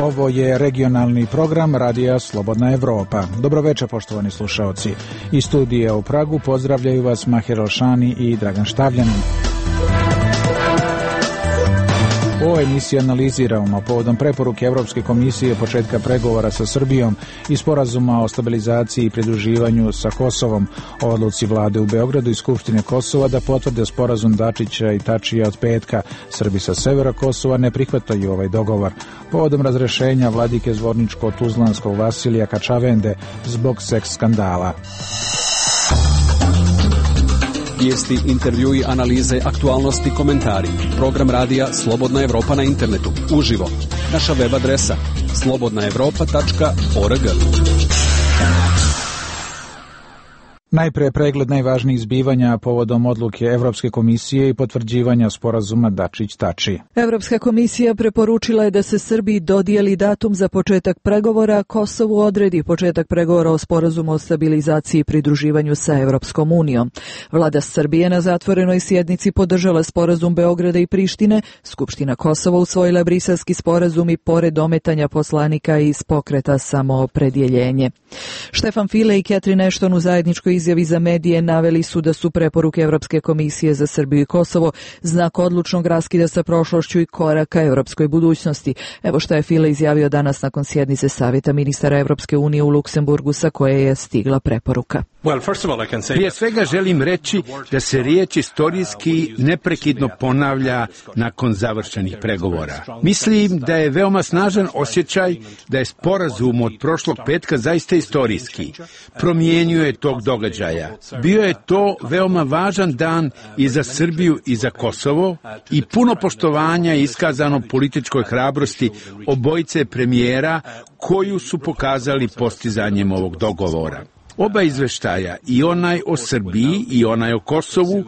Ovo je regionalni program Radija Slobodna Evropa. Dobroveče, poštovani slušaoci. Iz studija u Pragu pozdravljaju vas Mahir Alšani i Dragan Štavljanin. U ovoj emisiji analiziramo povodom preporuke Evropske komisije početka pregovora sa Srbijom i sporazuma o stabilizaciji i pridruživanju sa Kosovom, o odluci vlade u Beogradu i Skupštine Kosova da potvrde sporazum Dačića i Tačija od petka. Srbi sa severa Kosova ne prihvataju ovaj dogovor. Povodom razrešenja vladike Zvorničko-Tuzlanskog Vasilija Kačavende zbog seks skandala. Vijesti, intervjui, analize, aktualnosti, komentari. Program radija Slobodna Evropa na internetu. Uživo. Naša web adresa slobodnaevropa.org. Najpre pregled najvažnijih zbivanja povodom odluke Evropske komisije i potvrđivanja sporazuma Dačić-Tači. Evropska komisija preporučila je da se Srbiji dodijeli datum za početak pregovora, Kosovu odredi početak pregovora o sporazumu o stabilizaciji i pridruživanju sa Evropskom unijom. Vlada Srbije na zatvorenoj sjednici podržala sporazum Beograda i Prištine, Skupština Kosova usvojila briselski sporazum i pored ometanja poslanika iz pokreta Samoopredjeljenje. Štefan File i Catherine Ashton u zajedničkoj izjavi za medije naveli su da su preporuke Evropske komisije za Srbiju i Kosovo znak odlučnog raskida sa prošlošću i koraka evropskoj budućnosti. Evo što je File izjavio danas nakon sjednice Savjeta ministara Evropske unije u Luksemburgu sa koje je stigla preporuka. Prije svega želim reći da se riječ istorijski neprekidno ponavlja nakon završenih pregovora. Mislim da je veoma snažan osjećaj da je sporazum od prošlog petka zaista istorijski. Promijenjuje tog događaja. Bio je to veoma važan dan i za Srbiju i za Kosovo i puno poštovanja je iskazano političkoj hrabrosti obojice premijera koju su pokazali postizanjem ovog dogovora. Oba izveštaja, i onaj o Srbiji i onaj o Kosovu,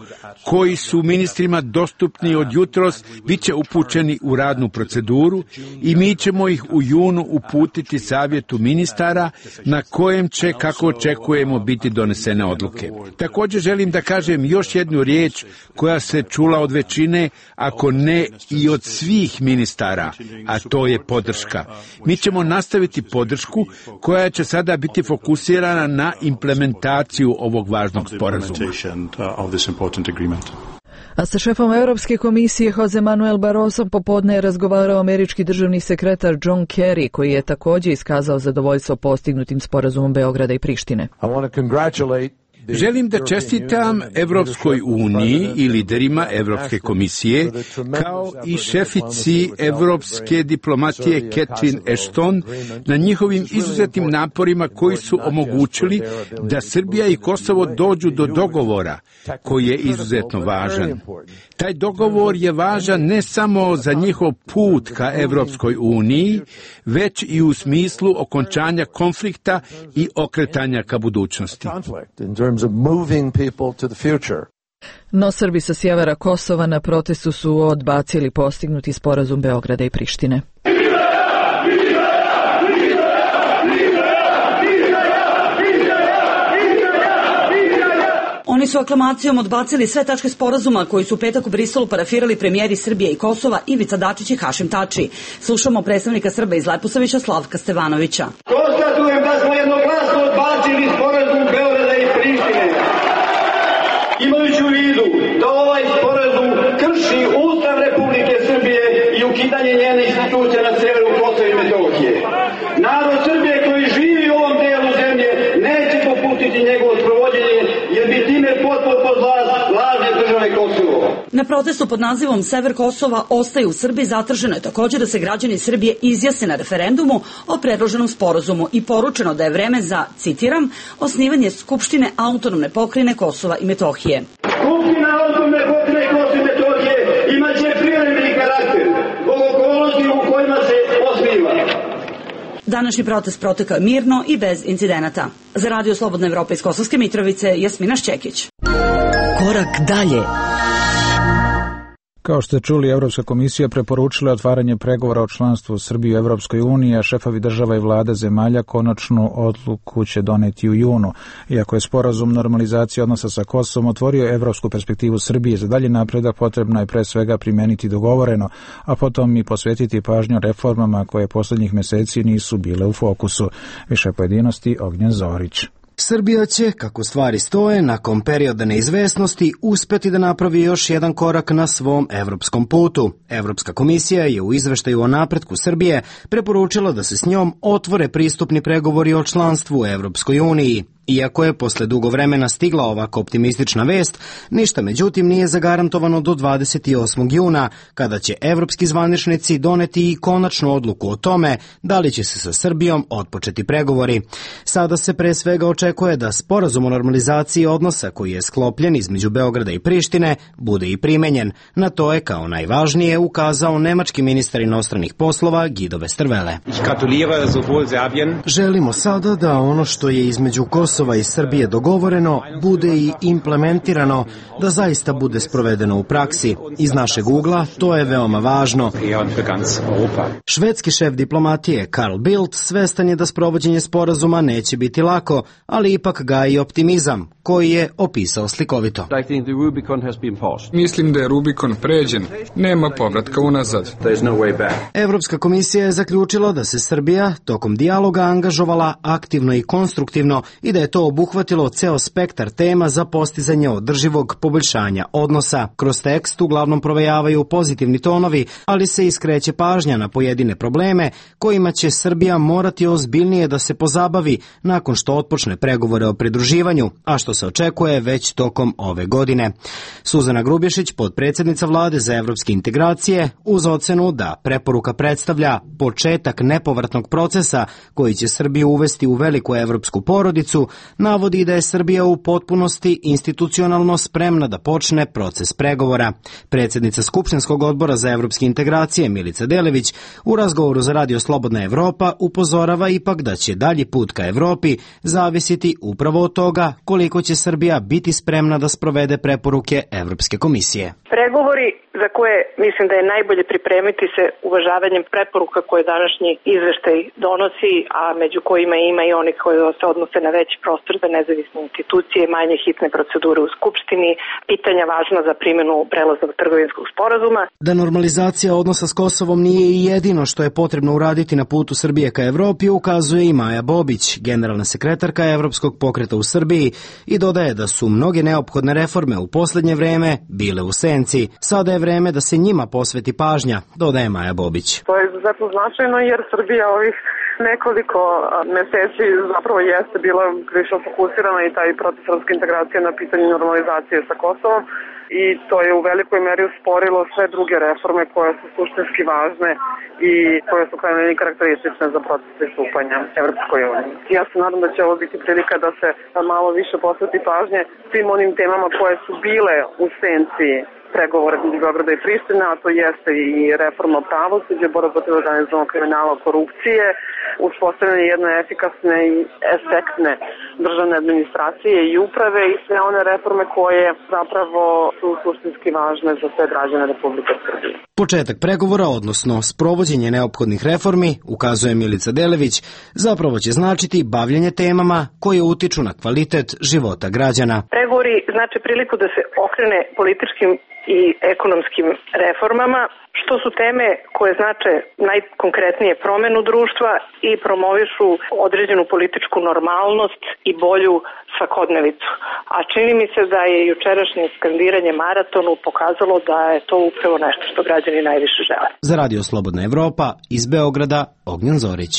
koji su ministrima dostupni od jutros, bit će upućeni u radnu proceduru i mi ćemo ih u junu uputiti Savjetu ministara na kojem će, kako očekujemo, biti donesene odluke. Također želim da kažem još jednu riječ koja se čula od većine, ako ne i od svih ministara, a to je podrška. Mi ćemo nastaviti podršku koja će sada biti fokusirana na implementaciju ovog važnog sporazuma. A sa šefom Europske komisije Jose Manuel Barroso popodne je razgovarao američki državni sekretar John Kerry, koji je također iskazao zadovoljstvo postignutim sporazumom Beograda i Prištine. Želim da čestitam Evropskoj uniji i liderima Evropske komisije, kao i šefici Evropske diplomatije Catherine Ashton na njihovim izuzetnim naporima koji su omogućili da Srbija i Kosovo dođu do dogovora koji je izuzetno važan. Taj dogovor je važan ne samo za njihov put ka Evropskoj uniji, već i u smislu okončanja konflikta i okretanja ka budućnosti. No Srbi sa sjevera Kosova na protestu su odbacili postignuti sporazum Beograda i Prištine. Oni su aklamacijom odbacili sve tačke sporazuma koji su u petak u Briselu parafirali premijeri Srbije i Kosova Ivica Dačić i Hašim Tači. Slušamo predstavnika Srba iz Leposavića Slavka Stevanovića. Konstatujem da smo jednoglasno odbacili sporazum Beograda i Prištine. Imajući u vidu da ovaj sporazum krši Ustav Republike Srbije i ukidanje njene institucije na severu Kosova i Metohije. Narod Srbije koji živi u ovom delu zemlje neće popustiti njegovo sprovođenje, jer bi time potpuno pod lažne države Kosovo. Na protestu pod nazivom Sever Kosova ostaje u Srbiji zatraženo je također da se građani Srbije izjasne na referendumu o predloženom sporazumu i poručeno da je vreme za, citiram, osnivanje Skupštine autonomne pokrajine Kosova i Metohije. Skupština autonomne pokrajine Kosova i Metohije imaće privremeni karakter zbog okolnosti u kojima se osniva. Današnji protest protekao je mirno i bez incidenata. Za Radio Slobodna Evropa iz Kosovske Mitrovice, Jasmina Šćekić. Korak dalje. Kao što ste čuli, Evropska komisija preporučila otvaranje pregovora o članstvu Srbije u Evropskoj uniji, a šefovi država i vlada zemalja konačnu odluku će doneti u junu. Iako je sporazum normalizacije odnosa sa Kosovom otvorio evropsku perspektivu Srbije za dalji napredak, potrebno je pre svega primeniti dogovoreno, a potom i posvetiti pažnju reformama koje poslednjih meseci nisu bile u fokusu. Više pojedinosti Ognjen Zorić. Srbija će, kako stvari stoje, nakon perioda neizvesnosti uspeti da napravi još jedan korak na svom evropskom putu. Evropska komisija je u izveštaju o napretku Srbije preporučila da se s njom otvore pristupni pregovori o članstvu u Evropskoj uniji. Iako je posle dugo vremena stigla ovako optimistična vest, ništa međutim nije zagarantovano do 28. juna, kada će evropski zvaničnici doneti i konačnu odluku o tome da li će se sa Srbijom otpočeti pregovori. Sada se pre svega očekuje da sporazum o normalizaciji odnosa koji je sklopljen između Beograda i Prištine bude i primenjen. Na to je kao najvažnije ukazao nemački ministar inostranih poslova Guido Westerwelle. Želimo sada da ono što je između Kosova i Srbije dogovoreno bude i implementirano, da zaista bude sprovedeno u praksi. Iz našeg ugla to je veoma važno. Švedski šef diplomatije Carl Bildt svestan je da sprovođenje sporazuma neće biti lako, ali ipak gaji optimizam, koji je opisao slikovito. Mislim da je Rubikon pređen, nema povratka unazad. Evropska komisija je zaključila da se Srbija tokom dijaloga angažovala aktivno i konstruktivno i da je to obuhvatilo ceo spektar tema za postizanje održivog poboljšanja odnosa. Kroz tekst uglavnom provejavaju pozitivni tonovi, ali se iskreće pažnja na pojedine probleme kojima će Srbija morati ozbiljnije da se pozabavi nakon što otpočne pregovore o pridruživanju, a što se očekuje već tokom ove godine. Suzana Grubješić, potpredsjednica vlade za evropske integracije, uz ocenu da preporuka predstavlja početak nepovratnog procesa koji će Srbiju uvesti u veliku evropsku porodicu, navodi da je Srbija u potpunosti institucionalno spremna da počne proces pregovora. Predsjednica Skupštinskog odbora za evropske integracije Milica Delević u razgovoru za Radio Slobodna Evropa upozorava ipak da će dalji put ka Evropi zavisiti upravo od toga koliko će Srbija biti spremna da sprovede preporuke Evropske komisije. Pregovori za koje mislim da je najbolje pripremiti se uvažavanjem preporuka koje današnji izveštaj donosi, a među kojima ima i oni koji se odnose na veći prostor za nezavisne institucije, manje hitne procedure u Skupštini, pitanja važna za primjenu prelaznog trgovinskog sporazuma. Da normalizacija odnosa s Kosovom nije i jedino što je potrebno uraditi na putu Srbije ka Evropi, ukazuje i Maja Bobić, generalna sekretarka Evropskog pokreta u Srbiji, i dodaje da su mnoge neophodne reforme u poslednje vreme bile u senci. Sada je vreme da se njima posveti pažnja, dodaje Maja Bobić. To je izuzetno značajno jer Srbija ovih nekoliko meseci zapravo jeste bila više fokusirana i taj proces evropske integracije na pitanju normalizacije sa Kosovom i to je u velikoj meri usporilo sve druge reforme koje su suštinski važne i koje su krajnje karakteristične za proces pristupanja Evropskoj uniji. Ja se nadam da će ovo biti prilika da se malo više posveti pažnje svim onim temama koje su bile u senci pregovora između Beograda i Prištine, a to jeste i reforma pravosuđa, borba protiv organizovanog kriminala, korupcije, uspostavljanje jedne efikasne i efektne državne administracije i uprave i sve one reforme koje zapravo su suštinski važne za sve građane Republike Srbije. Početak pregovora, odnosno sprovođenje neophodnih reformi, ukazuje Milica Delević, zapravo će značiti bavljenje temama koje utiču na kvalitet života građana. Pregovori znači priliku da se okrene političkim i ekonomskim reformama, što su teme koje znače najkonkretnije promenu društva i promovišu određenu političku normalnost i bolju svakodnevicu. A čini mi se da je jučerašnje skandiranje maratonu pokazalo da je to upravo nešto što građani najviše žele. Za Radio Slobodna Evropa iz Beograda, Ognjen Zorić.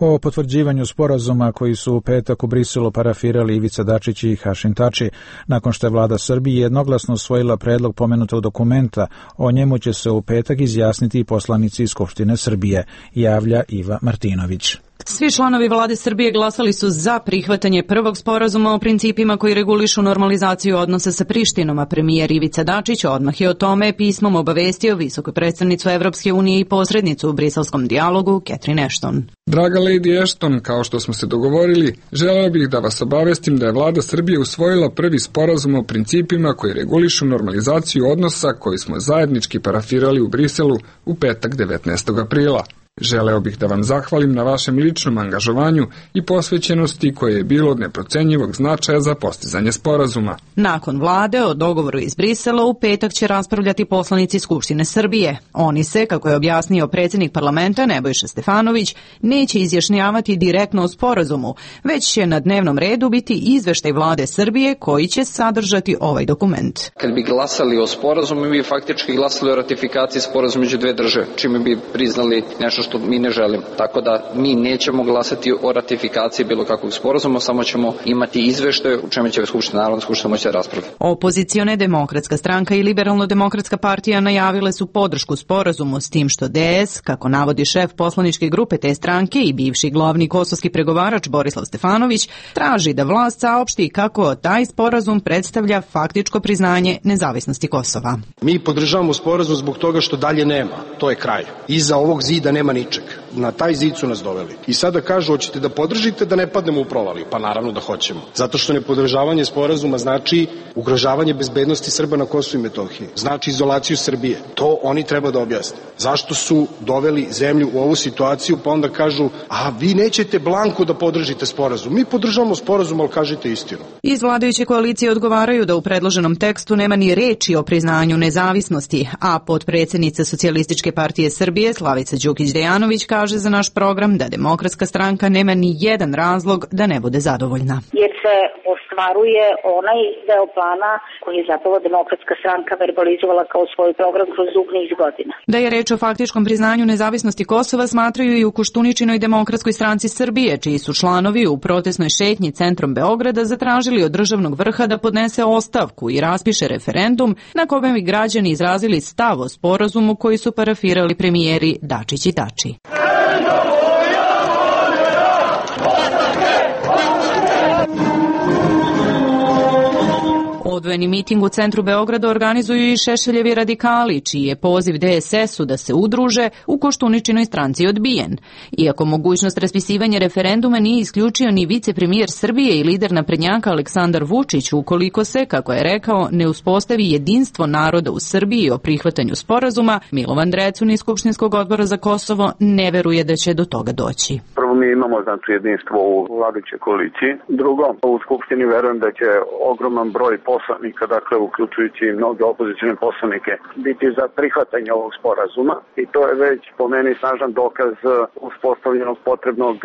O potvrđivanju sporazuma koji su u petak u Briselu parafirali Ivica Dačić i Hašim Tači, nakon što je vlada Srbije jednoglasno usvojila predlog pomenutog dokumenta, o njemu će se u petak izjasniti i poslanici iz Skupštine Srbije, javlja Iva Martinović. Svi članovi vlade Srbije glasali su za prihvatanje prvog sporazuma o principima koji regulišu normalizaciju odnosa sa Prištinom, a premijer Ivica Dačić odmah je o tome pismom obavestio visoku predstavnicu Evropske unije i posrednicu u briselskom dijalogu Catherine Ashton. Draga Lady Ashton, kao što smo se dogovorili, želeo bih da vas obavestim da je vlada Srbije usvojila prvi sporazum o principima koji regulišu normalizaciju odnosa koji smo zajednički parafirali u Briselu u petak 19. aprila. Želeo bih da vam zahvalim na vašem ličnom angažovanju i posvećenosti koje je bilo od neprocenjivog značaja za postizanje sporazuma. Nakon vlade o dogovoru iz Brisela u petak će raspravljati poslanici Skupštine Srbije. Oni se, kako je objasnio predsjednik parlamenta Nebojša Stefanović, neće izjašnjavati direktno o sporazumu, već će na dnevnom redu biti izveštaj vlade Srbije koji će sadržati ovaj dokument. Kad bi glasali o sporazumu, mi bi faktički glasali o ratifikaciji sporazuma među dve države, čime bi priznali nešto što mi ne želimo. Tako da mi nećemo glasati o ratifikaciji bilo kakvog sporazuma, samo ćemo imati izveštaj u čemu će Narodna skupština moći da raspravlja. Opozicione Demokratska stranka i Liberalno-demokratska partija najavile su podršku sporazumu, s tim što DS, kako navodi šef poslaničke grupe te stranke i bivši glavni kosovski pregovarač Borislav Stefanović, traži da vlast saopšti kako taj sporazum predstavlja faktičko priznanje nezavisnosti Kosova. Mi podržavamo sporazum zbog toga što dalje nema. To je kraj. Iza ovog zida nema ničeg. Na taj zid su nas doveli. I sada kažu, hoćete da podržite da ne padnemo u provaliju? Pa naravno da hoćemo. Zato što nepodržavanje sporazuma znači ugrožavanje bezbednosti Srba na Kosovu i Metohiji. Znači izolaciju Srbije. To oni treba da objasne. Zašto su doveli zemlju u ovu situaciju, pa onda kažu, a vi nećete blanko da podržite sporazum. Mi podržavamo sporazum, ali kažite istinu. Iz vladajuće koalicije odgovaraju da u predloženom tekstu nema ni reči o priznanju nezavisnosti, a potpredsjednica Socijalističke partije Srbije Slavica Đukić-Dejanović kaže za naš program da Demokratska stranka nema ni jedan razlog da ne bude zadovoljna. Jer se ostvaruje onaj deo plana koji je zapravo Demokratska stranka verbalizovala kao svoj program kroz dug niz godina. Da je reč o faktičkom priznanju nezavisnosti Kosova smatraju i u Koštuničinoj Demokratskoj stranci Srbije, čiji su članovi u protestnoj šetnji centrom Beograda zatražili od državnog vrha da podnese ostavku i raspiše referendum na kome bi građani izrazili stav o sporazumu koji su parafirali premijeri Dačić i Tači. Odvojeni miting u centru Beograda organizuju i Šešeljevi radikali, čiji je poziv DSS-u da se udruže u Koštuničinoj stranci odbijen. Iako mogućnost raspisivanja referenduma nije isključio ni vicepremijer Srbije i lider naprednjaka Aleksandar Vučić, ukoliko se, kako je rekao, ne uspostavi jedinstvo naroda u Srbiji o prihvatanju sporazuma, Milovan Drecun iz Skupštinskog odbora za Kosovo ne veruje da će do toga doći. Prvo, mi imamo jedinstvo u vladajućoj koaliciji. Drugo, u Skupštini verujem da će ogroman broj poslanika, dakle uključujući mnoge opozicione poslanike, biti za prihvatanje ovog sporazuma i to je već po meni snažan dokaz uspostavljenog potrebnog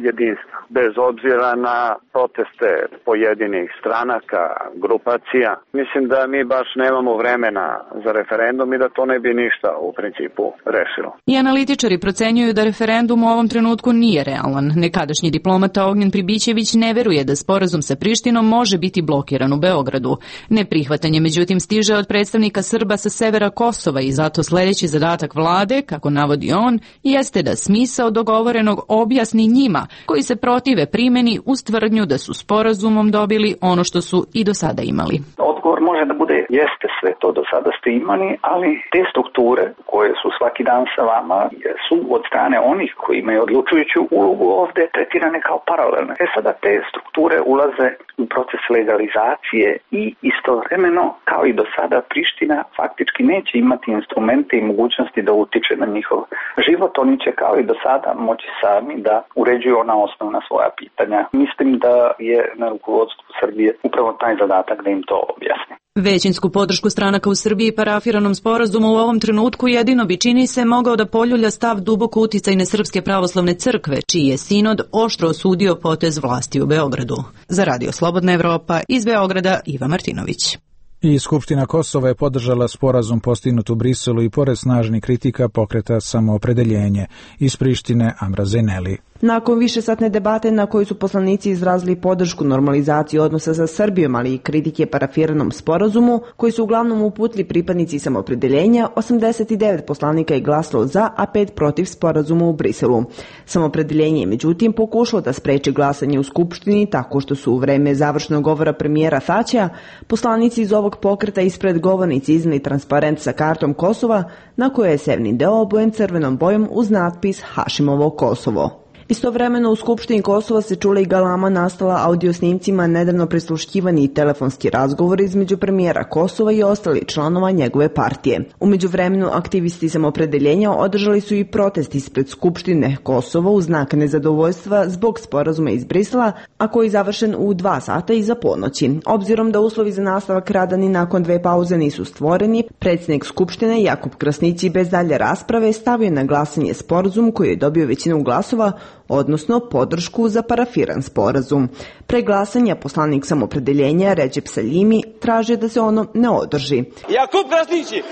jedinstva. Bez obzira na proteste pojedinih stranaka, grupacija, mislim da mi baš nemamo vremena za referendum i da to ne bi ništa u principu rešilo. I analitičari procenjuju da referendum u ovom trenutku nije realan. Nekadašnji diplomata Ognjen Pribićević ne veruje da sporazum sa Prištinom može biti blokiran u Beogradu. Neprihvatanje međutim stiže od predstavnika Srba sa severa Kosova i zato sljedeći zadatak vlade, kako navodi on, jeste da smisao dogovorenog objasni njima koji se protive primjeni uz tvrdnju da su sporazumom dobili ono što su i do sada imali. Odgovor može da bude jeste sve to do sada ste imali, ali te strukture koje su svaki dan sa vama su od strane onih koji imaju odlučujuću ulogu ovde tretirane kao paralelne. Sada te strukture ulaze u proces legalizacije i istovremeno, kao i do sada, Priština faktički neće imati instrumente i mogućnosti da utiče na njihov život. Oni će kao i do sada moći sami da uređuju ona osnovna svoja pitanja. Mislim da je na rukovodstvu Srbije upravo taj zadatak da im to objasni. Većinsku podršku stranaka u Srbiji parafiranom sporazumu u ovom trenutku jedino bi, čini se, mogao da poljulja stav duboko uticajne Srpske pravoslavne crkve, čiji je sinod oštro osudio potez vlasti u Beogradu. Za Radio Slobodna Evropa iz Beograda Iva Martinović. I Skupština Kosova je podržala sporazum postignut u Briselu i pored snažnih kritika pokreta Samoopredeljenje iz Prištine Amra Zeneli. Nakon višesatne debate na kojoj su poslanici izrazili podršku normalizaciji odnosa sa Srbijom, ali i kritike parafiranom sporazumu, koji su uglavnom uputili pripadnici samopredeljenja, 89 poslanika je glasalo za, a 5 protiv sporazuma u Briselu. Samopredeljenje je međutim pokušalo da spreči glasanje u Skupštini tako što su u vreme završnog govora premijera Thačea poslanici iz ovog pokreta ispred govornici izneli transparent sa kartom Kosova, na kojoj je sevni deo obojen crvenom bojom uz natpis Hašimovo Kosovo. Istovremeno u Skupštini Kosova se čula i galama nastala audiosnimcima nedavno prisluškivani telefonski razgovor između premijera Kosova i ostali članova njegove partije. U međuvremenu aktivisti samopredeljenja održali su i protest ispred Skupštine Kosova u znak nezadovoljstva zbog sporazuma iz Brisela, a koji je završen u 2 sata iza ponoći. Obzirom da uslovi za nastavak rada ni nakon 2 pauze nisu stvoreni, predsjednik Skupštine Jakub Krasnići bez dalje rasprave stavio na glasanje sporazum koji je dobio većinu glasova, odnosno podršku za parafiran sporazum. Pre glasanja poslanik samopredeljenja Recep Salimi traže da se ono ne održi. Jakub Krasnići,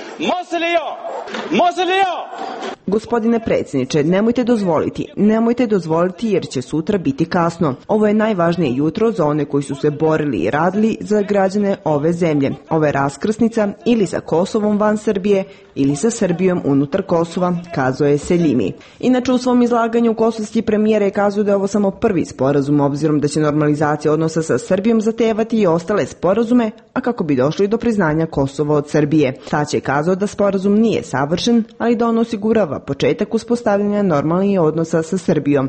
može li ja? Gospodine predsjedniče, nemojte dozvoliti jer će sutra biti kasno. Ovo je najvažnije jutro za one koji su se borili i radili za građane ove zemlje. Ovo je raskrsnica ili sa Kosovom van Srbije ili sa Srbijom unutar Kosova, kazao je Selimi. Inače u svom izlaganju kosovski premijer je kazao da je ovo samo prvi sporazum, obzirom da će normalizacija odnosa sa Srbijom zahtevati i ostale sporazume, a kako bi došli do priznanja Kosova od Srbije. Thač je kazao da sporazum nije savršen, ali da on osigurava početak uspostavljanja normalnih odnosa sa Srbijom.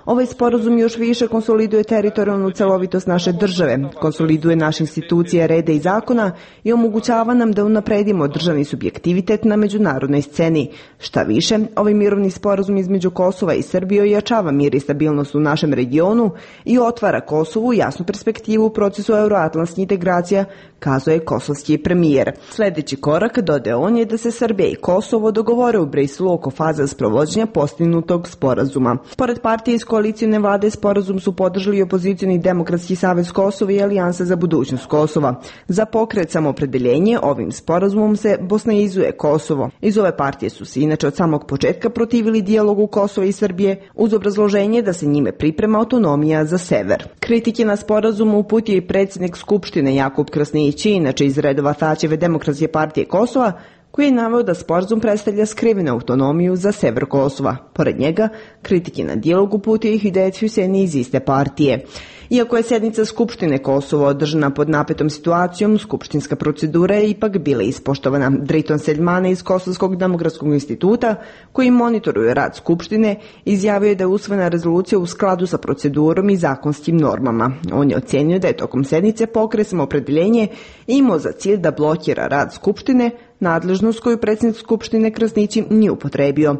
Ovaj sporazum još više konsoliduje teritorijalnu celovitost naše države, konsoliduje naše institucije reda i zakona i omogućava nam da unapredimo državni subjektivitet na međunarodnoj sceni. Šta više, ovaj mirovni sporazum između Kosova i Srbije ojačava mir i stabilnost u našem regionu i otvara Kosovu jasnu perspektivu u procesu euroatlantskih integracija, kazao je kosovski premijer. Sljedeći korak, dodao on, je da se Srbija i Kosovo dogovore u Briselu oko faze sprovođenja postignutog sporazuma. Pored partije iz koalicijne vlade, sporazum su podržali opozicioni Demokratski savez Kosova i Alijansa za budućnost Kosova. Za pokret samopredeljenje ovim sporazumom se bosnaizuje Kosovo. Iz ove partije su se inače od samog početka protivili dijalogu Kosova i Srbije uz obrazloženje da se njime priprema autonomija za sever. Kritike na sporazum uputio i predsjednik Skupštine Jakub Krasnići, inače iz redova Thačeve Demokratske partije Kosova, koji je naveo da sporazum predstavlja skrivenu autonomiju za sever Kosova. Pored njega, kritike na dijalog uputio i Hidayet Husseini iz iste partije. Iako je sjednica Skupštine Kosova održana pod napetom situacijom, skupštinska procedura je ipak bila ispoštovana. Driton Seljmane iz Kosovskog demokratskog instituta, koji monitoruje rad Skupštine, izjavio je da je usvojena rezolucija u skladu sa procedurom i zakonskim normama. On je ocenio da je tokom sednice pokret Samopredeljenje imao za cilj da blokira rad Skupštine, nadležnost koju predsjednik Skupštine Krasnići nije upotrebio.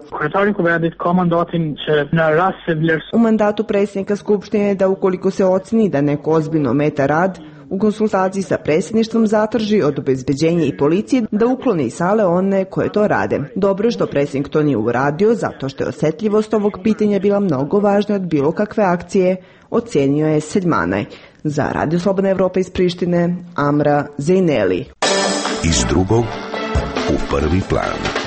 U mandatu predsjednika Skupštine je da ukoliko se oceni da neko ozbiljno ometa rad, u konsultaciji sa predsjedništvom zatraži od obezbeđenja i policije da uklone iz sale one koje to rade. Dobro je što predsjednik to nije uradio, zato što je osjetljivost ovog pitanja bila mnogo važna od bilo kakve akcije, ocenio je Seljmanaj. Za Radio Slobodna Evropa iz Prištine, Amra Zejneli. Iz drugog u prvi plan.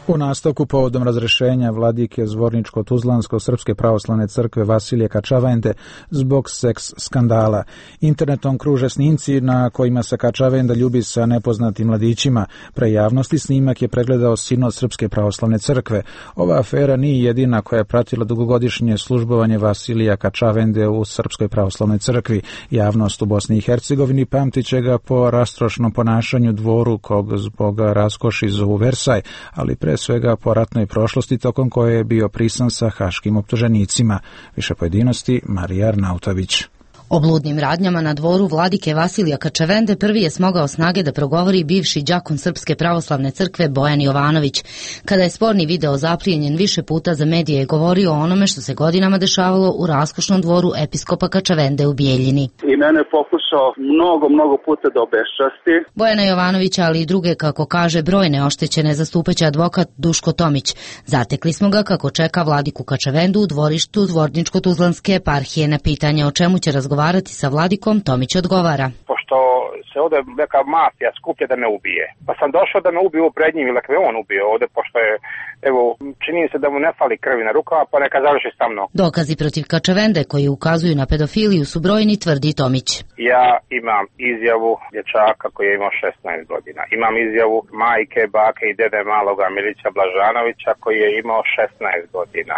U nastavku povodom razrešenja vladike Zvorničko-Tuzlansko-Srpske pravoslavne crkve Vasilije Kačavende zbog seks skandala. Internetom kruže snimci na kojima se Kačavenda ljubi sa nepoznatim mladićima. Pre javnosti snimak je pregledao sinod Srpske pravoslavne crkve. Ova afera nije jedina koja je pratila dugogodišnje službovanje Vasilija Kačavende u Srpskoj pravoslavnoj crkvi. Javnost u Bosni i Hercegovini pamtit će ga po rastrošnom ponašanju dvoru kog zbog raskoši zovu Versaj, ali pre svega po ratnoj prošlosti tokom koje je bio prisan sa haškim optuženicima. Više pojedinosti Marija Arnautović. O bludnim radnjama na dvoru vladike Vasilija Kačavende prvi je smogao snage da progovori bivši đakon Srpske pravoslavne crkve Bojan Jovanović. Kada je sporni video zaplijenjen više puta za medije, je govorio o onome što se godinama dešavalo u raskošnom dvoru episkopa Kačavende u Bijeljini. I mene je pokušao mnogo puta da obeščasti. Bojana Jovanovića, ali i druge, kako kaže, brojne oštećene zastupaće advokat Duško Tomić. Zatekli smo ga kako čeka vladiku Kačavendu u dvorištu Zvorničko-Tuzlanske eparhije. Na pitanje o čemu će razgovarati sa vladikom, Tomić odgovara. Pošto se ovde neka mafija skuplja da me ubije. Pa sam došao da me ubiju pred njim ili da me on ubio ovde, pošto je, evo, čini se da mu ne fali krvi na rukama, pa neka završi sa mnom. Dokazi protiv Kačavende koji ukazuju na pedofiliju su brojni, tvrdi Tomić. Ja imam izjavu dječaka koji je imao 16 godina. Imam izjavu majke, bake i dede maloga Milića Blažanovića koji je imao 16 godina.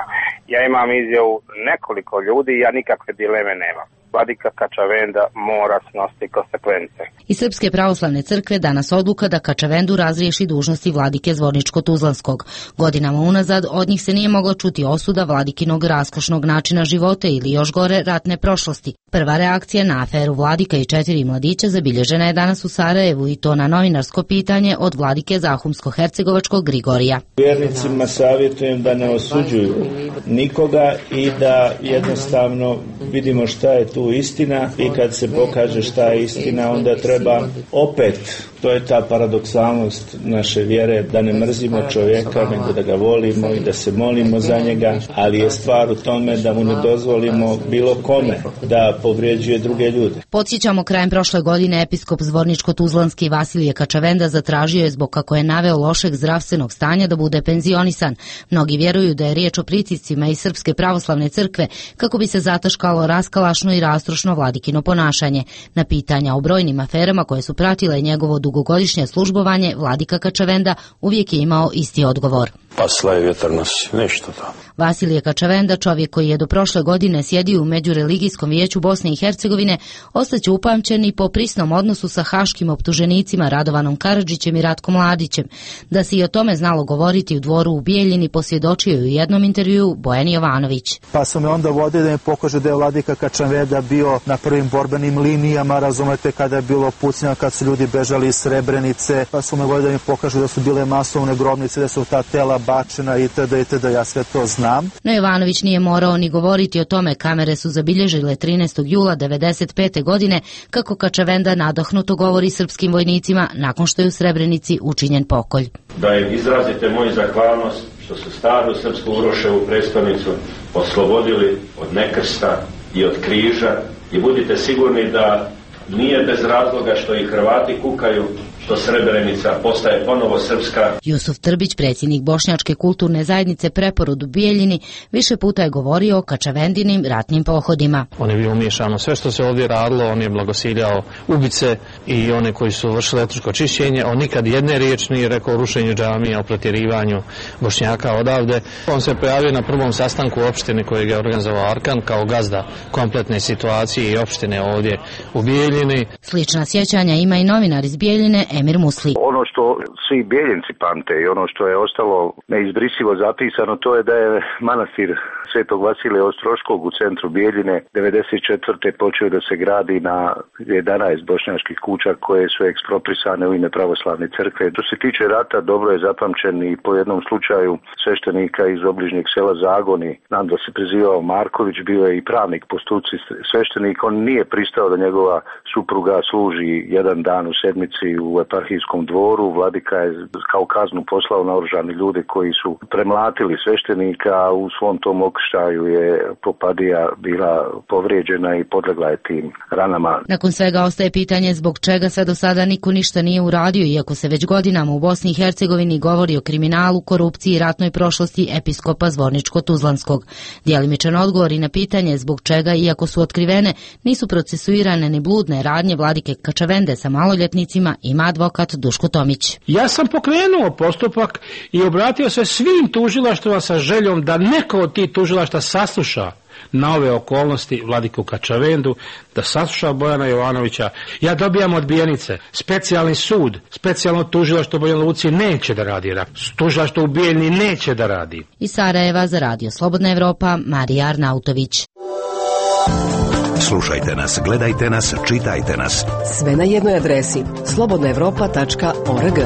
Ja imam izjavu nekoliko ljudi i ja nikakve dileme nemam. Vladika Kačavenda mora snositi konsekvence. Iz Srpske pravoslavne crkve danas odluka da Kačavendu razriješi dužnosti vladike Zvorničko-Tuzlanskog. Godinama unazad od njih se nije mogla čuti osuda vladikinog raskošnog načina života ili još gore ratne prošlosti. Prva reakcija na aferu vladika i 4 mladića zabilježena je danas u Sarajevu i to na novinarsko pitanje od vladike Zahumsko-Hercegovačkog Grigorija. Vjernicima savjetujem da ne osuđuju nikoga i da jednostavno vidimo šta je tu istina i kad se pokaže šta je istina onda treba opet, to je ta paradoksalnost naše vjere, da ne mrzimo čovjeka nego da ga volimo i da se molimo za njega, ali je stvar u tome da mu ne dozvolimo bilo kome da povrijeđuje druge ljude. Podsjećamo, krajem prošle godine episkop Zvorničko-Tuzlanski Vasilije Kačavenda zatražio je zbog, kako je naveo, lošeg zdravstvenog stanja da bude penzionisan. Mnogi vjeruju da je riječ o pritiscima iz Srpske pravoslavne crkve kako bi se zataškalo raskalašno i rastrošno vladikino ponašanje. Na pitanja o brojnim aferama koje su pratile njegovo dugogodišnje službovanje, vladika Kačavenda uvijek je imao isti odgovor. Pasla je vjetar nosi, nešto to. Vasilije Kačavenda, čovjek koji je do prošle godine sjedio u Međureligijskom vijeću Bosne i Hercegovine, ostaće upamćen i po prisnom odnosu sa haškim optuženicima Radovanom Karadžićem i Ratkom Mladićem. Da se i o tome znalo govoriti u dvoru u Bijeljini posvjedočio je u jednom intervjuu Bojan Jovanović. Pa su me onda vodili da mi pokaže da je vladika Kačavenda bio na prvim borbenim linijama, razumete, kada je bilo pucnja, kad su ljudi bežali iz Srebrenice, pa su me vodili da mi pokažu da su bile masovne grobnice, da su ta tela bačena itd. Ja sve to znam. No Jovanović nije morao ni govoriti o tome. Kamere su zabilježile 13. jula 1995. godine kako Kačavenda nadahnuto govori srpskim vojnicima nakon što je u Srebrenici učinjen pokolj. Da im izrazite moju zahvalnost što su staru srpsku Uroševu prestonicu oslobodili od nekrsta i od križa i budite sigurni da nije bez razloga što i Hrvati kukaju što Srebrenica postaje ponovo srpska. Jusuf Trbić, predsjednik Bošnjačke kulturne zajednice Preporod u Bijeljini, više puta je govorio o Kačavendinim ratnim pohodima. On je bio umiješano sve što se ovdje radilo, on je blagosiljao ubice i one koji su vršili etničko čišćenje. On nikad jedne riječi nije rekao o rušenju džamija, o protjerivanju Bošnjaka odavde. On se pojavio na prvom sastanku opštine kojeg je organizovao Arkan kao gazda kompletne situacije i opštine ovdje u Bijeljini. Slična sjećanja ima i novinar iz Bijeljine Emir Musli. Ono što svi Bijeljinci pamte i ono što je ostalo neizbrisivo zapisano, to je da je manastir Svetog Vasilija Ostroškog u centru Bijeljine 94. počeo da se gradi na 11 bošnjačkih kuća koje su eksproprisane u ime pravoslavne crkve. Što se tiče rata, dobro je zapamćen i po jednom slučaju sveštenika iz obližnjeg sela Zagoni, znam da se prezivao Marković, bio je i pravnik po struci sveštenik, on nije pristao da njegova supruga služi jedan dan u sedmici u eparhijskom dvoru. Vladika je kao kaznu poslao naoružane ljude koji su premlatili sveštenika, a u svom tom okrštaju je Popadija bila povrijeđena i podlegla je tim ranama. Nakon svega ostaje pitanje zbog čega sve do sada niko ništa nije uradio, iako se već godinama u Bosni i Hercegovini govori o kriminalu, korupciji i ratnoj prošlosti episkopa Zvorničko-Tuzlanskog. Djelimičan odgovor i na pitanje zbog čega, iako su otkrivene, nisu procesuirane ni bludne radnje vladike Kačavende sa maloljetnicima, ima advokat Duško Tomić. Ja sam pokrenuo postupak i obratio se svim tužilaštvima sa željom da neko od tih tužilaštva sasluša na ove okolnosti vladiku Kačavendu, da sasluša Bojana Jovanovića. Ja dobijam odbijenice. Specijalni sud, specijalno tužilaštvo u Banja Luci neće da radi. Tužilaštvo u Bijeljini neće da radi. Iz Sarajeva za Radio Slobodna Evropa, Marija Arnautović. Slušajte nas, gledajte nas, čitajte nas. Sve na jednoj adresi slobodnaevropa.org.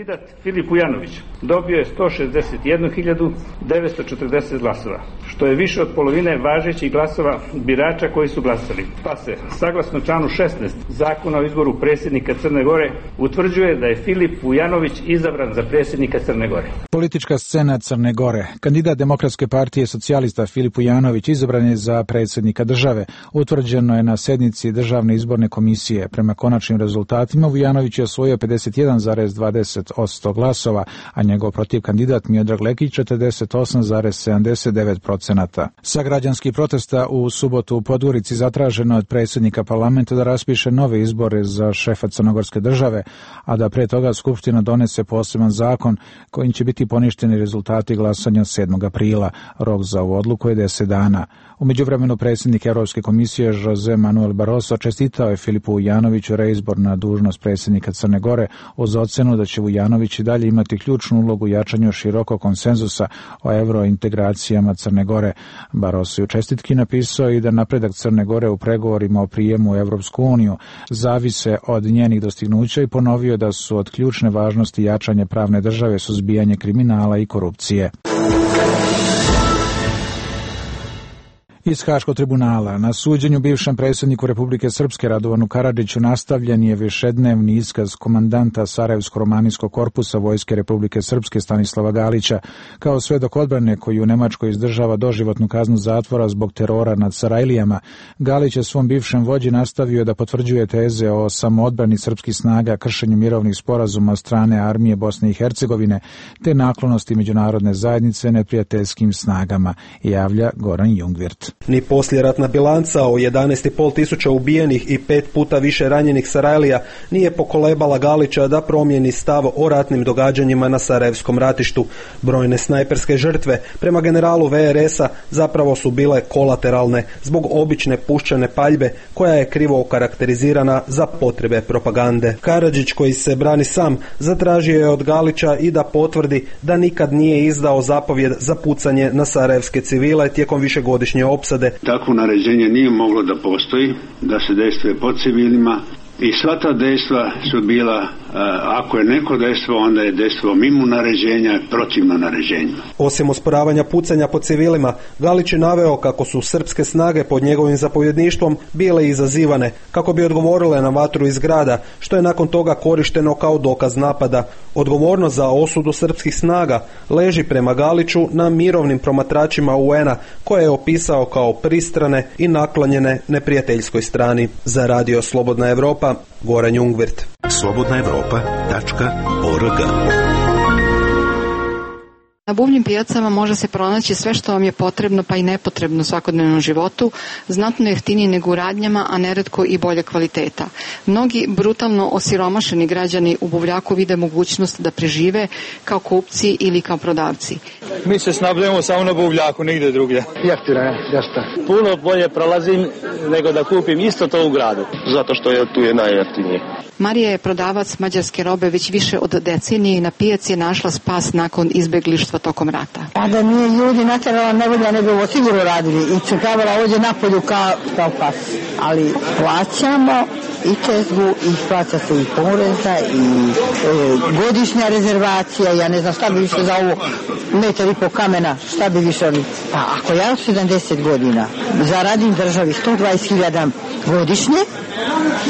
Kandidat Filip Ujanović dobio je 161.940 glasova, što je više od polovine važećih glasova birača koji su glasali. Pa se, saglasno članu 16 Zakona o izboru predsjednika Crne Gore, utvrđuje da je Filip Ujanović izabran za predsjednika Crne Gore. Politička scena Crne Gore. Kandidat Demokratske partije socijalista Filip Ujanović izabran je za predsjednika države. Utvrđeno je na sednici Državne izborne komisije. Prema konačnim rezultatima Vujanović je osvojio 51,20% glasova, a njegov protiv kandidat Miodrag Lekić 48,79%. Sa građanskih protesta u subotu u Podgorici zatraženo od predsjednika parlamenta da raspiše nove izbore za šefa crnogorske države, a da pre toga Skupština donese poseban zakon kojim će biti poništeni rezultati glasanja 7. aprila. Rok za ovu odluku je 10 dana. U međuvremenu predsjednik Europske komisije Jose Manuel Barroso čestitao je Filipu Vujanoviću reizbor na dužnost predsjednika Crne Gore uz ocenu da će Vujanović i dalje imati ključnu ulogu u jačanju širokog konsenzusa o eurointegracijama Crne Gore. Barroso je u čestitki napisao i da napredak Crne Gore u pregovorima o prijemu u Evropsku uniju zavise od njenih dostignuća i ponovio da su od ključne važnosti jačanje pravne države, suzbijanje kriminala i korupcije. Iz Haškog tribunala na suđenju bivšem predsjedniku Republike Srpske Radovanu Karadžiću nastavljen je višednevni iskaz komandanta Sarajevsko-romanijskog korpusa Vojske Republike Srpske Stanislava Galića kao svedok odbrane koji u Nemačkoj izdržava doživotnu kaznu zatvora zbog terora nad Sarajlijama. Galić je svom bivšem vođi nastavio da potvrđuje teze o samoodbrani srpskih snaga, kršenju mirovnih sporazuma od strane armije Bosne i Hercegovine te naklonosti međunarodne zajednice neprijateljskim snagama, javlja Goran Jungwirth. Ni poslijeratna bilanca o 11.500 ubijenih i 5 puta više ranjenih Sarajlija nije pokolebala Galića da promijeni stav o ratnim događanjima na Sarajevskom ratištu. Brojne snajperske žrtve prema generalu VRS-a zapravo su bile kolateralne zbog obične puščane paljbe koja je krivo okarakterizirana za potrebe propagande. Karadžić, koji se brani sam, zatražio je od Galića i da potvrdi da nikad nije izdao zapovjed za pucanje na sarajevske civile tijekom višegodišnje opsade. Takvo naređenje nije moglo da postoji, da se dejstvuje po civilima i sva ta dejstva su bila, ako je neko dejstvo, onda je dejstvo mimo naređenja, protivno naređenju. Osim osporavanja pucanja po civilima, Galić je naveo kako su srpske snage pod njegovim zapovjedništvom bile izazivane, kako bi odgovorile na vatru iz grada, što je nakon toga korišteno kao dokaz napada. Odgovornost za osudu srpskih snaga leži prema Galiću na mirovnim promatračima UN-a, koje je opisao kao pristrane i naklonjene neprijateljskoj strani. Za Radio Slobodna Evropa, Goran Jungwirth. slobodnaevropa.org. Na buvljim pijacama može se pronaći sve što vam je potrebno pa i nepotrebno u svakodnevnom životu, znatno jeftinije nego u radnjama, a neretko i bolje kvaliteta. Mnogi brutalno osiromašeni građani u buvljaku vide mogućnost da prežive kao kupci ili kao prodavci. Mi se snabdemo samo na buvljaku, nigde drugdje. Jeftino je, jeste. Puno bolje prolazim nego da kupim isto to u gradu. Zato što je tu je najjeftinije. Marija je prodavac mađarske robe već više od decenije i na pijaci je našla spas nakon izbeglištva tokom rata. A da nije ljudi natjerala nevolja, ne bi ovo sigurno radili i čekavala ovdje napolju kao pas. Ali plaćamo i čezgu i plaća se i poreza i godišnja rezervacija, ja ne znam šta bi više za ovo 1,5 metra kamena, šta bi više oni. Pa ako ja 70 godina zaradim državi 120.000 godišnje,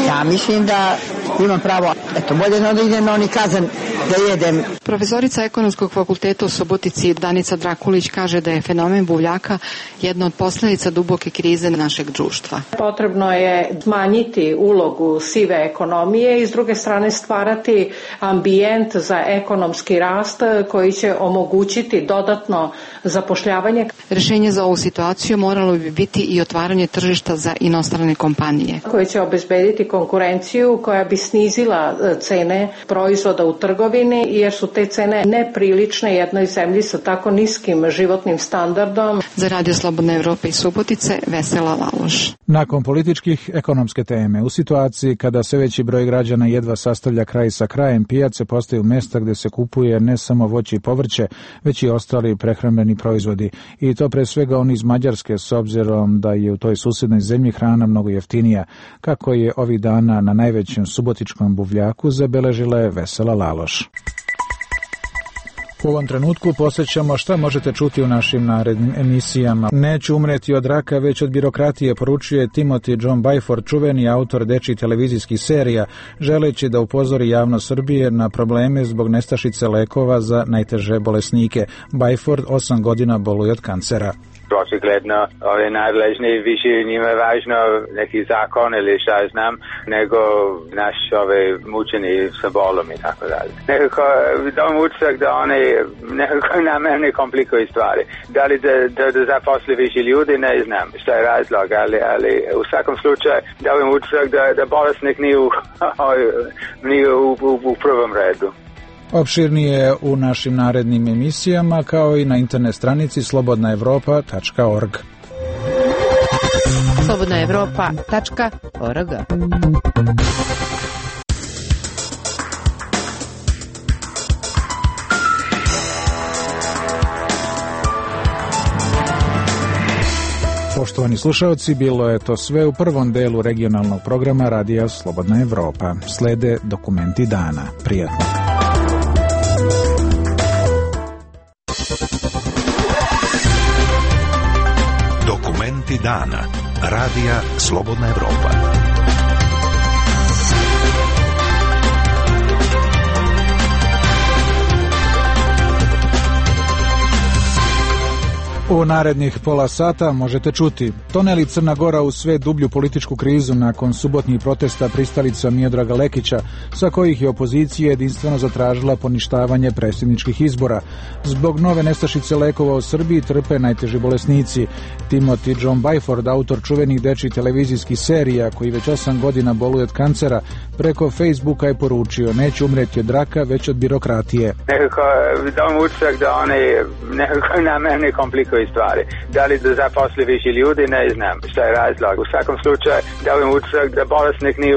ja mislim da imam pravo, eto, bolje da idem na oni kazan da jedem. Profesorica Ekonomskog fakulteta u Subotici Danica Drakulić kaže da je fenomen buvljaka jedna od posljedica duboke krize našeg društva. Potrebno je smanjiti ulogu sive ekonomije i s druge strane stvarati ambijent za ekonomski rast koji će omogućiti dodatno zapošljavanje. Rješenje za ovu situaciju moralo bi biti i otvaranje tržišta za inostrane kompanije. Koje će obezbediti konkurenciju koja bi snizila cene proizvoda u trgovini jer su te cene neprilične jednoj zemlji sa tako niskim životnim standardom. Za Radio Slobodne Evrope i Subotice, Vesela Laloš. Nakon političkih, ekonomske teme. U situaciji kada sve veći broj građana jedva sastavlja kraj sa krajem, pijace postaju mjesta gdje se kupuje ne samo voće i povrće, već i ostali prehrambeni proizvodi. I to pre svega oni iz Mađarske, s obzirom da je u toj susjednoj zemlji hrana mnogo jeftinija, kako je ovih dana na najvećem subotičkom buvljaku zabeležila je Vesela Laloš. U ovom trenutku posjećamo šta možete čuti u našim narednim emisijama. Neću umreti od raka, već od birokratije, poručuje Timothy John Byford, čuveni autor dečjih televizijskih serija, želeći da upozori javnost Srbije na probleme zbog nestašice lekova za najteže bolesnike. Byford 8 godina boluje od kancera. Očigledno, ove nadležni više njima je važno neki zakon ili šta znam, nego naš mučeni sa bolom i tako dalje. Nekako dam utisak da oni nekako namjerno komplikuju stvari. Da li da zaposli više ljudi, ne znam šta je razlog, ali u svakom slučaju dam utisak da bolesnik nije u prvom redu. Opširnije u našim narednim emisijama, kao i na internet stranici slobodnaevropa.org. slobodnaevropa.org. Poštovani slušalci, bilo je to sve u prvom delu regionalnog programa Radija Slobodna Evropa. Slede dokumenti dana. Prijatno. Dokumenti dana. Radija Slobodna Evropa. U narednih pola sata možete čuti: toneli Crna Gora u sve dublju političku krizu nakon subotnjih protesta pristalica Miodraga Lekića, sa kojih je opozicija jedinstveno zatražila poništavanje predsjedničkih izbora. Zbog nove nestašice lekova u Srbiji trpe najteži bolesnici. Timothy John Byford, autor čuvenih dečjih televizijskih serija, koji već 8 godina boluje od kancera, preko Facebooka je poručio: neću umreti od raka, već od birokratije. Nekako dam utisak da oni nekako namjerno komplikuju stvari. Da li da zaposli više ljudi, ne znam šta je razlog. U svakom slučaju dam utisak da bolesnik nije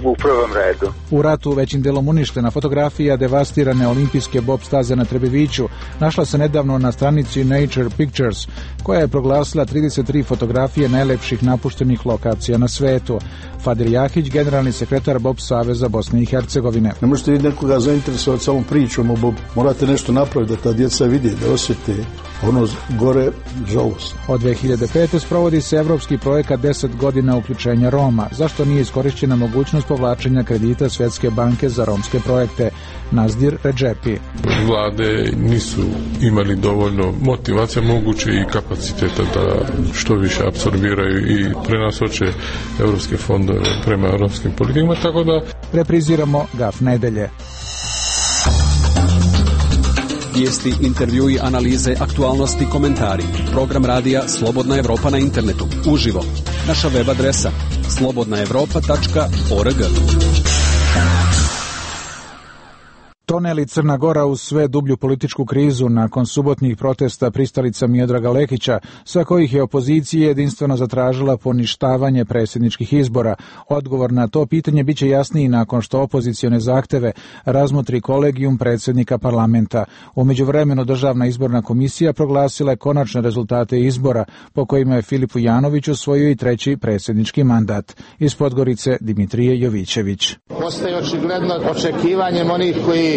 u prvom redu. U ratu većim delom uništena fotografija devastirane olimpijske bob staze na Trebeviću našla se nedavno na stranici Nature Pictures, koja je proglasila 33 fotografije najlepših napuštenih lokacija na svetu. Fadil Jahić, generalni sekretar Bob Saveza Bosne i Hercegovine. Ne možete vi nekoga zainteresovati samom pričom o Bobu. Morate nešto napraviti da ta djeca vidi, da osjete ono gore žalost. Od 2005. sprovodi se evropski projekat 10 godina uključenja Roma. Zašto nije iskorišćena mogućnost povlačenja kredita Svjetske banke za romske projekte? Nazdir Redžepi. Vlade nisu imali dovoljno motivacija, moguće i kapaciteta da što više apsorbiraju i prenasoče evropske fondove prema romskim politikama, tako da repriziramo Gaf nedelje. Vijesti, intervjui, analize, aktualnosti, komentari. Program radija Slobodna Evropa na internetu. Uživo. Naša web adresa slobodnaevropa.org. Toneli Crna Gora u sve dublju političku krizu nakon subotnjih protesta pristalica Miodraga Lekića, sa kojih je opozicija jedinstveno zatražila poništavanje predsjedničkih izbora. Odgovor na to pitanje biće jasniji nakon što opozicione zahteve razmotri kolegijum predsjednika parlamenta. U međuvremenu Državna izborna komisija proglasila je konačne rezultate izbora, po kojima je Filip Vujanović osvojio i treći predsjednički mandat. Iz Podgorice Dimitrije Jovićević. Postaje očigledno očekivanjem onih koji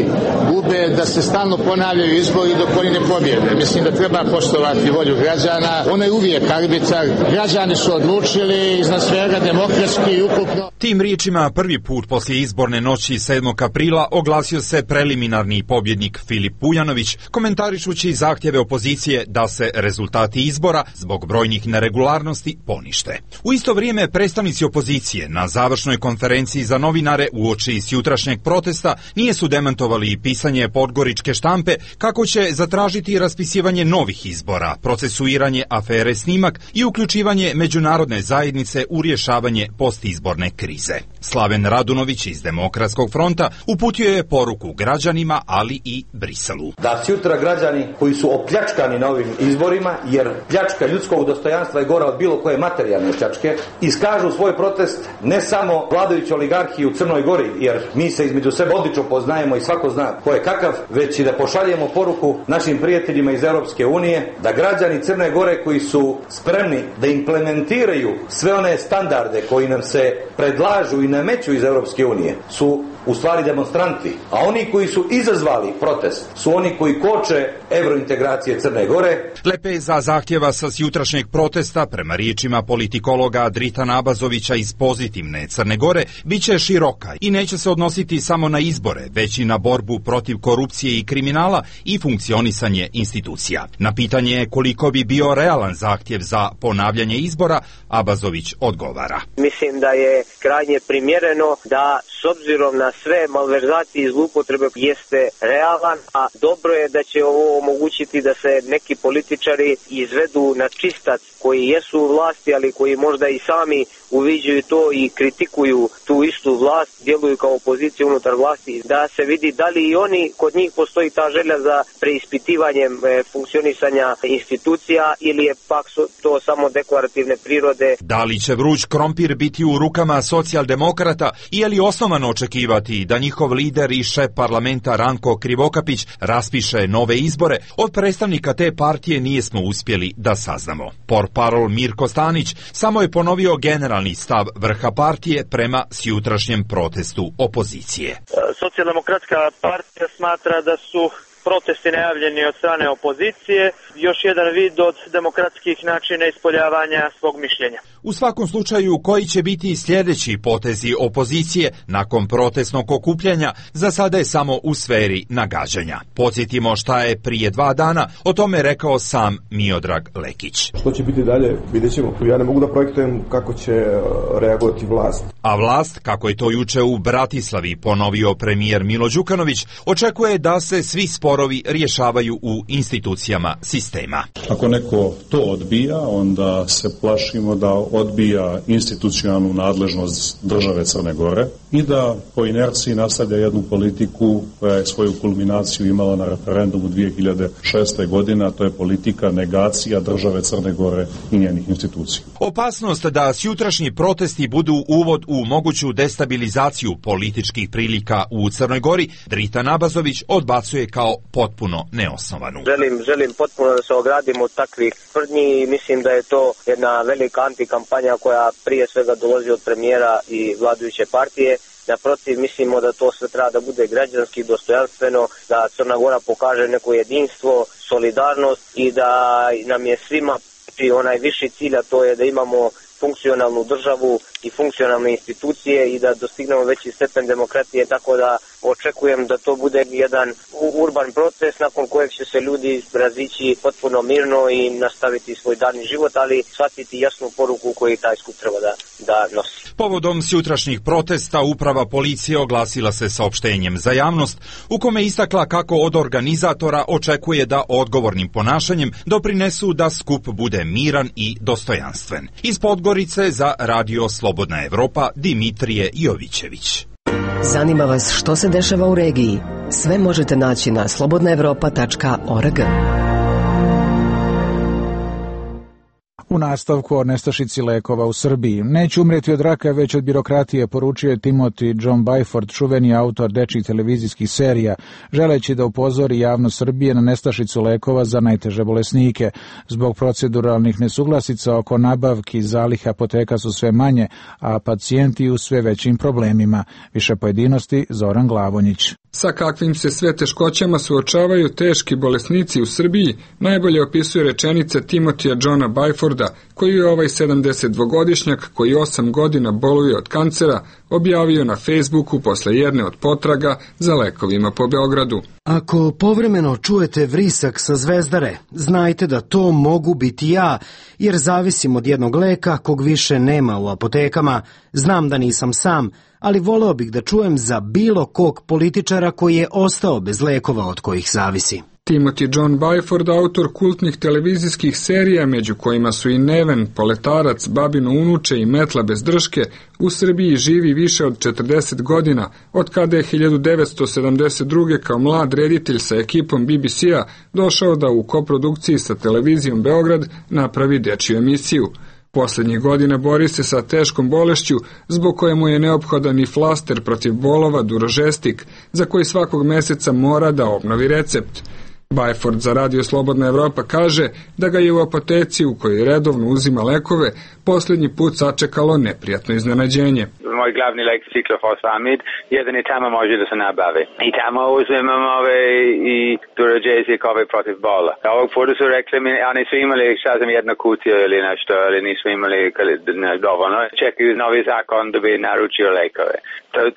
gube da se stalno ponavljaju izbori dok oni ne pobjede. Mislim da treba poštovati volju građana. Ona je uvijek arbitar. Građani su odlučili iznad svega demokratski i ukupno. Tim riječima prvi put poslije izborne noći 7. aprila oglasio se preliminarni pobjednik Filip Vujanović, komentarišući zahtjeve opozicije da se rezultati izbora zbog brojnih neregularnosti ponište. U isto vrijeme predstavnici opozicije na završnoj konferenciji za novinare uoči s jutrašnjeg protesta nije su demantovali i pisanje podgoričke štampe kako će zatražiti raspisivanje novih izbora, procesuiranje afere Snimak i uključivanje međunarodne zajednice u rješavanje postizborne krize. Slaven Radunović iz Demokratskog fronta uputio je poruku građanima, ali i Briselu. Da sutra građani koji su opljačkani na ovim izborima, jer pljačka ljudskog dostojanstva je gora od bilo koje materijalne pljačke, iskažu svoj protest ne samo vladajući oligarhiji u Crnoj Gori, jer mi se između sebe odlično poznajemo i svako svako zna ko je kakav, već i da pošaljemo poruku našim prijateljima iz Europske unije da građani Crne Gore koji su spremni da implementiraju sve one standarde koji nam se predlažu i nameću iz Europske unije su u stvari demonstranti, a oni koji su izazvali protest su oni koji koče evrointegracije Crne Gore. Lepeza zahtjeva sa jutrašnjeg protesta, prema riječima politikologa Dritana Abazovića iz Pozitivne Crne Gore, biće široka i neće se odnositi samo na izbore, već i na borbu protiv korupcije i kriminala i funkcionisanje institucija. Na pitanje koliko bi bio realan zahtjev za ponavljanje izbora, Abazović odgovara. Mislim da je krajnje primjereno da s obzirom na sve malverzacije i zloupotrebe jeste realan, a dobro je da će ovo omogućiti da se neki političari izvedu na čistac koji jesu u vlasti, ali koji možda i sami uviđaju to i kritikuju tu istu vlast, djeluju kao opozicija unutar vlasti, da se vidi da li i oni, kod njih postoji ta želja za preispitivanjem funkcionisanja institucija ili je pak to samo deklarativne prirode. Da li će vruć krompir biti u rukama socijaldemokrata i je li osnovano očekivati da njihov lider i šef parlamenta Ranko Krivokapić raspiše nove izbore, od predstavnika te partije nijesmo uspjeli da saznamo. Portparol Mirko Stanić samo je ponovio generalni stav vrha partije prema sjutrašnjem protestu opozicije. Socijaldemokratska partija smatra da su protesti najavljeni od strane opozicije, još jedan vid od demokratskih načina ispoljavanja svog mišljenja. U svakom slučaju, koji će biti sljedeći potezi opozicije nakon protestnog okupljanja, za sada je samo u sferi nagađanja. Podsjetimo šta je prije 2 dana o tome rekao sam Miodrag Lekić. Što će biti dalje, vidjet ćemo. Ja ne mogu da projektujem kako će reagovati vlast. A vlast, kako je to juče u Bratislavi ponovio premijer Milo Đukanović, očekuje da se svi sporovi rješavaju u institucijama sistema. Ako neko to odbija, onda se plašimo da odbija institucionalnu nadležnost države Crne Gore i da po inerciji nastavlja jednu politiku koja je svoju kulminaciju imala na referendumu 2006. godine, a to je politika negacija države Crne Gore i njenih institucija. Opasnost da sjutrašnji protesti budu uvod u moguću destabilizaciju političkih prilika u Crnoj Gori, Dritan Abazović odbacuje kao potpuno neosnovanu. Želim potpuno da se ogradim od takvih tvrdnji i mislim da je to jedna velika antikampanja koja prije svega dolazi od premijera i vladajuće partije. Naprotiv, mislimo da to sve treba da bude građanski, dostojanstveno, da Crna Gora pokaže neko jedinstvo, solidarnost i da nam je svima onaj viši cilj, a to je da imamo funkcionalnu državu i funkcionalne institucije i da dostignemo veći stepen demokratije, tako da očekujem da to bude jedan urban proces nakon kojeg će se ljudi razići potpuno mirno i nastaviti svoj dani život, ali shvatiti jasnu poruku koju taj skup treba da nosi. Povodom sutrašnjih protesta uprava policije oglasila se saopštenjem za javnost u kome istakla kako od organizatora očekuje da odgovornim ponašanjem doprinesu da skup bude miran i dostojanstven. Iz Podgorice za Radio Slobodna Evropa Dimitrije Jovićević. Zanima vas što se dešava u regiji? Sve možete naći na slobodnaevropa.org. U nastavku o nestašici lekova u Srbiji. Neće umreti od raka, već od birokratije, poručio je Timothy John Byford, čuveni autor dečjih televizijskih serija, želeći da upozori javnost Srbije na nestašicu lekova za najteže bolesnike. Zbog proceduralnih nesuglasica oko nabavki zaliha apoteka su sve manje, a pacijenti u sve većim problemima. Više pojedinosti Zoran Glavonjić. Sa kakvim se sve teškoćama suočavaju teški bolesnici u Srbiji, najbolje opisuje rečenica Timothya Johna Byforda, koji je ovaj 72-godišnjak koji 8 godina boluje od kancera objavio na Facebooku posle jedne od potraga za lekovima po Beogradu. Ako povremeno čujete vrisak sa Zvezdare, znajte da to mogu biti ja, jer zavisim od jednog leka kog više nema u apotekama. Znam da nisam sam, ali voleo bih da čujem za bilo kog političara koji je ostao bez lekova od kojih zavisi. Timothy John Byford, autor kultnih televizijskih serija, među kojima su i Neven, Poletarac, Babino unuče i Metla bez drške, u Srbiji živi više od 40 godina, od kada je 1972. kao mlad reditelj sa ekipom BBC-a došao da u koprodukciji sa televizijom Beograd napravi dečju emisiju. Poslednjih godina bori se sa teškom bolešću zbog koje mu je neophodan i flaster protiv bolova Durožestik, za koji svakog meseca mora da obnovi recept. Byford za Radio Slobodna Evropa kaže da ga je u apoteci u kojoj redovno uzima lekove posljednji put sačekalo neprijatno iznenađenje. Moj glavni lek ciklofosfamid, jedan i tamo može da se nabavi. I tamo uzimam i Duragesic protiv bola. Ovog puta su rekli mi, oni su imali jednu kutiju ili nešto, ali nisu imali dovoljno. Čekaju novi zakon da bi naručio lekove.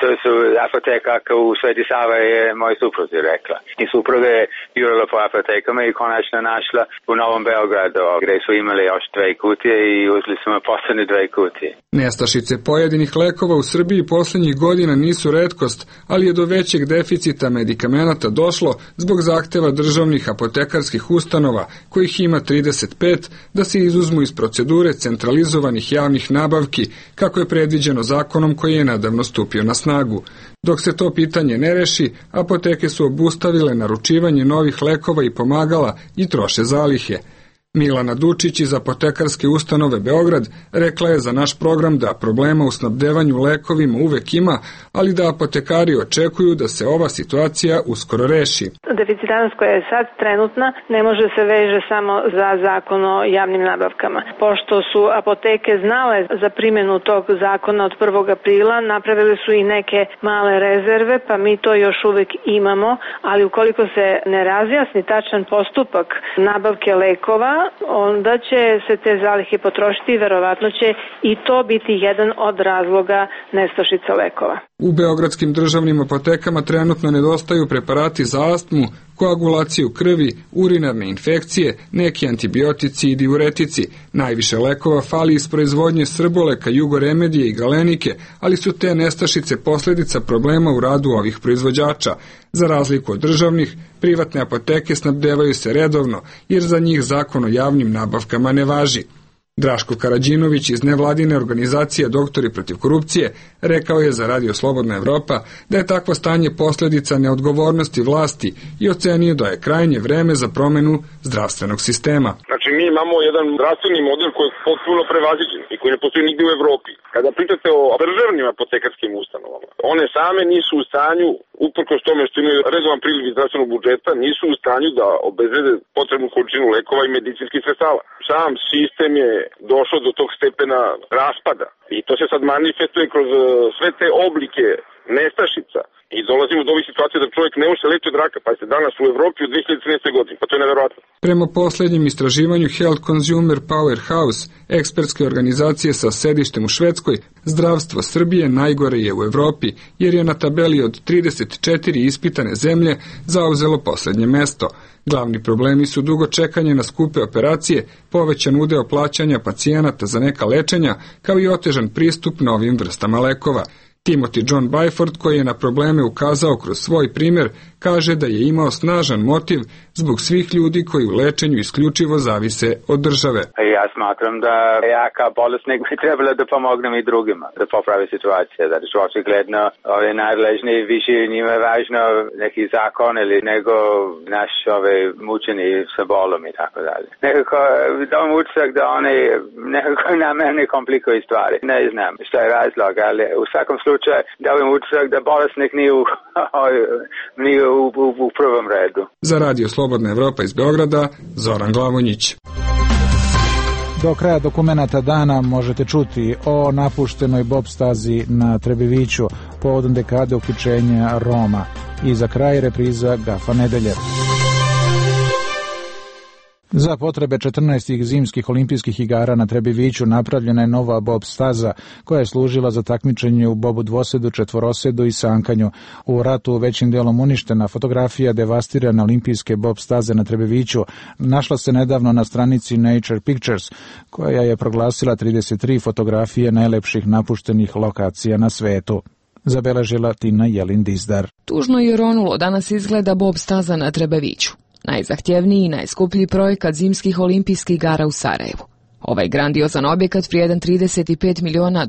To su apoteka u Sveti Sava je moj suprug rekla. I supruga je jurila po apotekama i konačno našla u Novom Beogradu, gdje su imali još 2 kutije i uzeli smo poslednje 2 kutije. Nestašice pojedinih lekova u Srbiji posljednjih godina nisu retkost, ali je do većeg deficita medikamenata došlo zbog zahteva državnih apotekarskih ustanova, kojih ima 35, da se izuzmu iz procedure centralizovanih javnih nabavki, kako je predviđeno zakonom koji je nedavno stupio na snagu. Dok se to pitanje ne reši, apoteke su obustavile naručivanje novih lekova i pomagala i troše zalihe. Milana Dučić iz apotekarske ustanove Beograd rekla je za naš program da problema u snabdevanju lekovima uvek ima, ali da apotekari očekuju da se ova situacija uskoro reši. Deficitarnost koja je sad trenutna ne može se veže samo za zakon o javnim nabavkama. Pošto su apoteke znale za primjenu tog zakona od 1. aprila, napravili su i neke male rezerve, pa mi to još uvek imamo, ali ukoliko se ne razjasni tačan postupak nabavke lekova, onda će se te zalihe potrošiti i verovatno će i to biti jedan od razloga nestašice lekova. U beogradskim državnim apotekama trenutno nedostaju preparati za astmu, koagulaciju krvi, urinarne infekcije, neki antibiotici i diuretici. Najviše lekova fali iz proizvodnje Srboleka, Jugoremedije i Galenike, ali su te nestašice posljedica problema u radu ovih proizvođača. Za razliku od državnih, privatne apoteke snabdevaju se redovno, jer za njih zakon o javnim nabavkama ne važi. Draško Karadžinović iz nevladine organizacije Doktori protiv korupcije rekao je za Radio Slobodna Evropa da je takvo stanje posljedica neodgovornosti vlasti i ocenio da je krajnje vreme za promenu zdravstvenog sistema. Znači mi imamo jedan zdravstveni model koji je potpuno prevaziđen i koji ne postoji nigdje u Evropi. Kada pričate o državnim apotekarskim ustanovama, one same nisu u stanju, uprkos tome što imaju redovan priliv iz zdravstvenog budžeta, nisu u stanju da obezbede potrebnu količinu lekova i medicinskih sredstava. Sam sistem je došao do tog stepena raspada i to se sad manifestuje kroz sve te oblike nestašica i dolazimo do ovih situacija da čovjek ne može se leči od raka, pa se danas u Evropi u 2013. godini, pa to je neverovatno. Prema posljednjem istraživanju Health Consumer Powerhouse, ekspertske organizacije sa sedištem u Švedskoj, zdravstvo Srbije najgore je u Evropi, jer je na tabeli od 34 ispitane zemlje zauzelo posljednje mesto. Glavni problemi su dugo čekanje na skupe operacije, povećan udeo plaćanja pacijenata za neka lečenja, kao i otežan pristup novim vrstama lekova. Timothy John Byford, koji je na probleme ukazao kroz svoj primjer, kaže da je imao snažan motiv zbog svih ljudi koji u lečenju isključivo zavise od države. Ja smatram da ja kao bolesnik bi trebalo da pomognem i drugima, da popravi situacije, zato što očigledno ove nadležni više njima je važno neki zakon ili nego naš mučeni sa bolom i tako dalje. Nekako dam utisak da oni nekako namerne komplikuju stvari. Ne znam što je razlog, ali u svakom slučaju dam utisak da bolesnik nije u prvom redu. Za Radio Slobodna Evropa iz Beograda, Zoran Glavonjić. Do kraja dokumenata dana možete čuti o napuštenoj bob stazi na Trebeviću povodom dekade uključenja Roma i za kraj repriza Gafa nedelje. Za potrebe 14. zimskih olimpijskih igara na Trebeviću napravljena je nova bob staza koja je služila za takmičenje u bobu dvosedu, četvorosedu i sankanju. U ratu većim dijelom uništena fotografija devastirane olimpijske bob staze na Trebeviću našla se nedavno na stranici Nature Pictures, koja je proglasila 33 fotografije najlepših napuštenih lokacija na svetu. Zabeležila Tina Jelin-Dizdar. Tužno i ronulo danas izgleda bob staza na Trebeviću. Najzahtjevniji i najskuplji projekat zimskih olimpijskih igara u Sarajevu. Ovaj grandiozan objekat vrijedan $35 miliona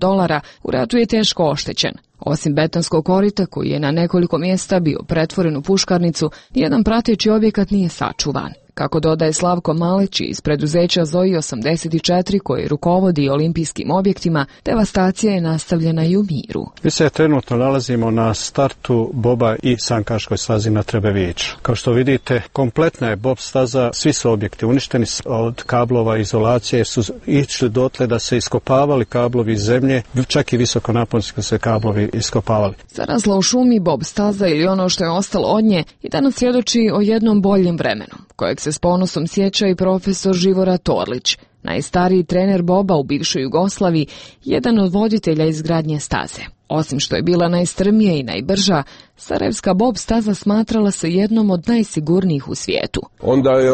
u ratu je teško oštećen. Osim betonskog korita koji je na nekoliko mjesta bio pretvoren u puškarnicu, nijedan prateći objekat nije sačuvan. Kako dodaje Slavko Maleć iz preduzeća Zoji 84 koji rukovodi olimpijskim objektima, devastacija je nastavljena i u Miru. Mi se trenutno nalazimo na startu boba i sankaškoj stazi na Trebeviću. Kao što vidite, kompletna je bob staza, svi su objekti uništeni od kablova izolacije, su išli dotle da se iskopavali kablovi iz zemlje, čak i visokonaponski se kablovi iskopavali. Zarazla u šumi, bob staza ili ono što je ostalo od nje i danas svjedoči o jednom boljem vremenu, kojeg se s ponosom sjeća i profesor Živora Torlić, najstariji trener boba u bivšoj Jugoslaviji, jedan od voditelja izgradnje staze. Osim što je bila najstrmija i najbrža, sarajevska bob staza smatrala se jednom od najsigurnijih u svijetu. Onda je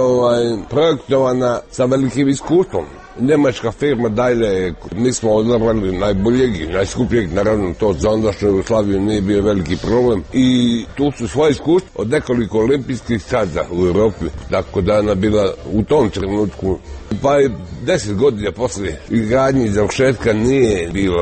projektovana sa velikim iskustvom. Njemačka firma Daimler, mi smo odabrali najboljeg i najskupljeg, naravno to za ondašnju Jugoslaviju nije bio veliki problem. I tu su svoje iskustvo od nekoliko olimpijskih staza u Europi, tako da ona bila u tom trenutku. Pa je 10 godina poslije izgradnje i završetka nije bilo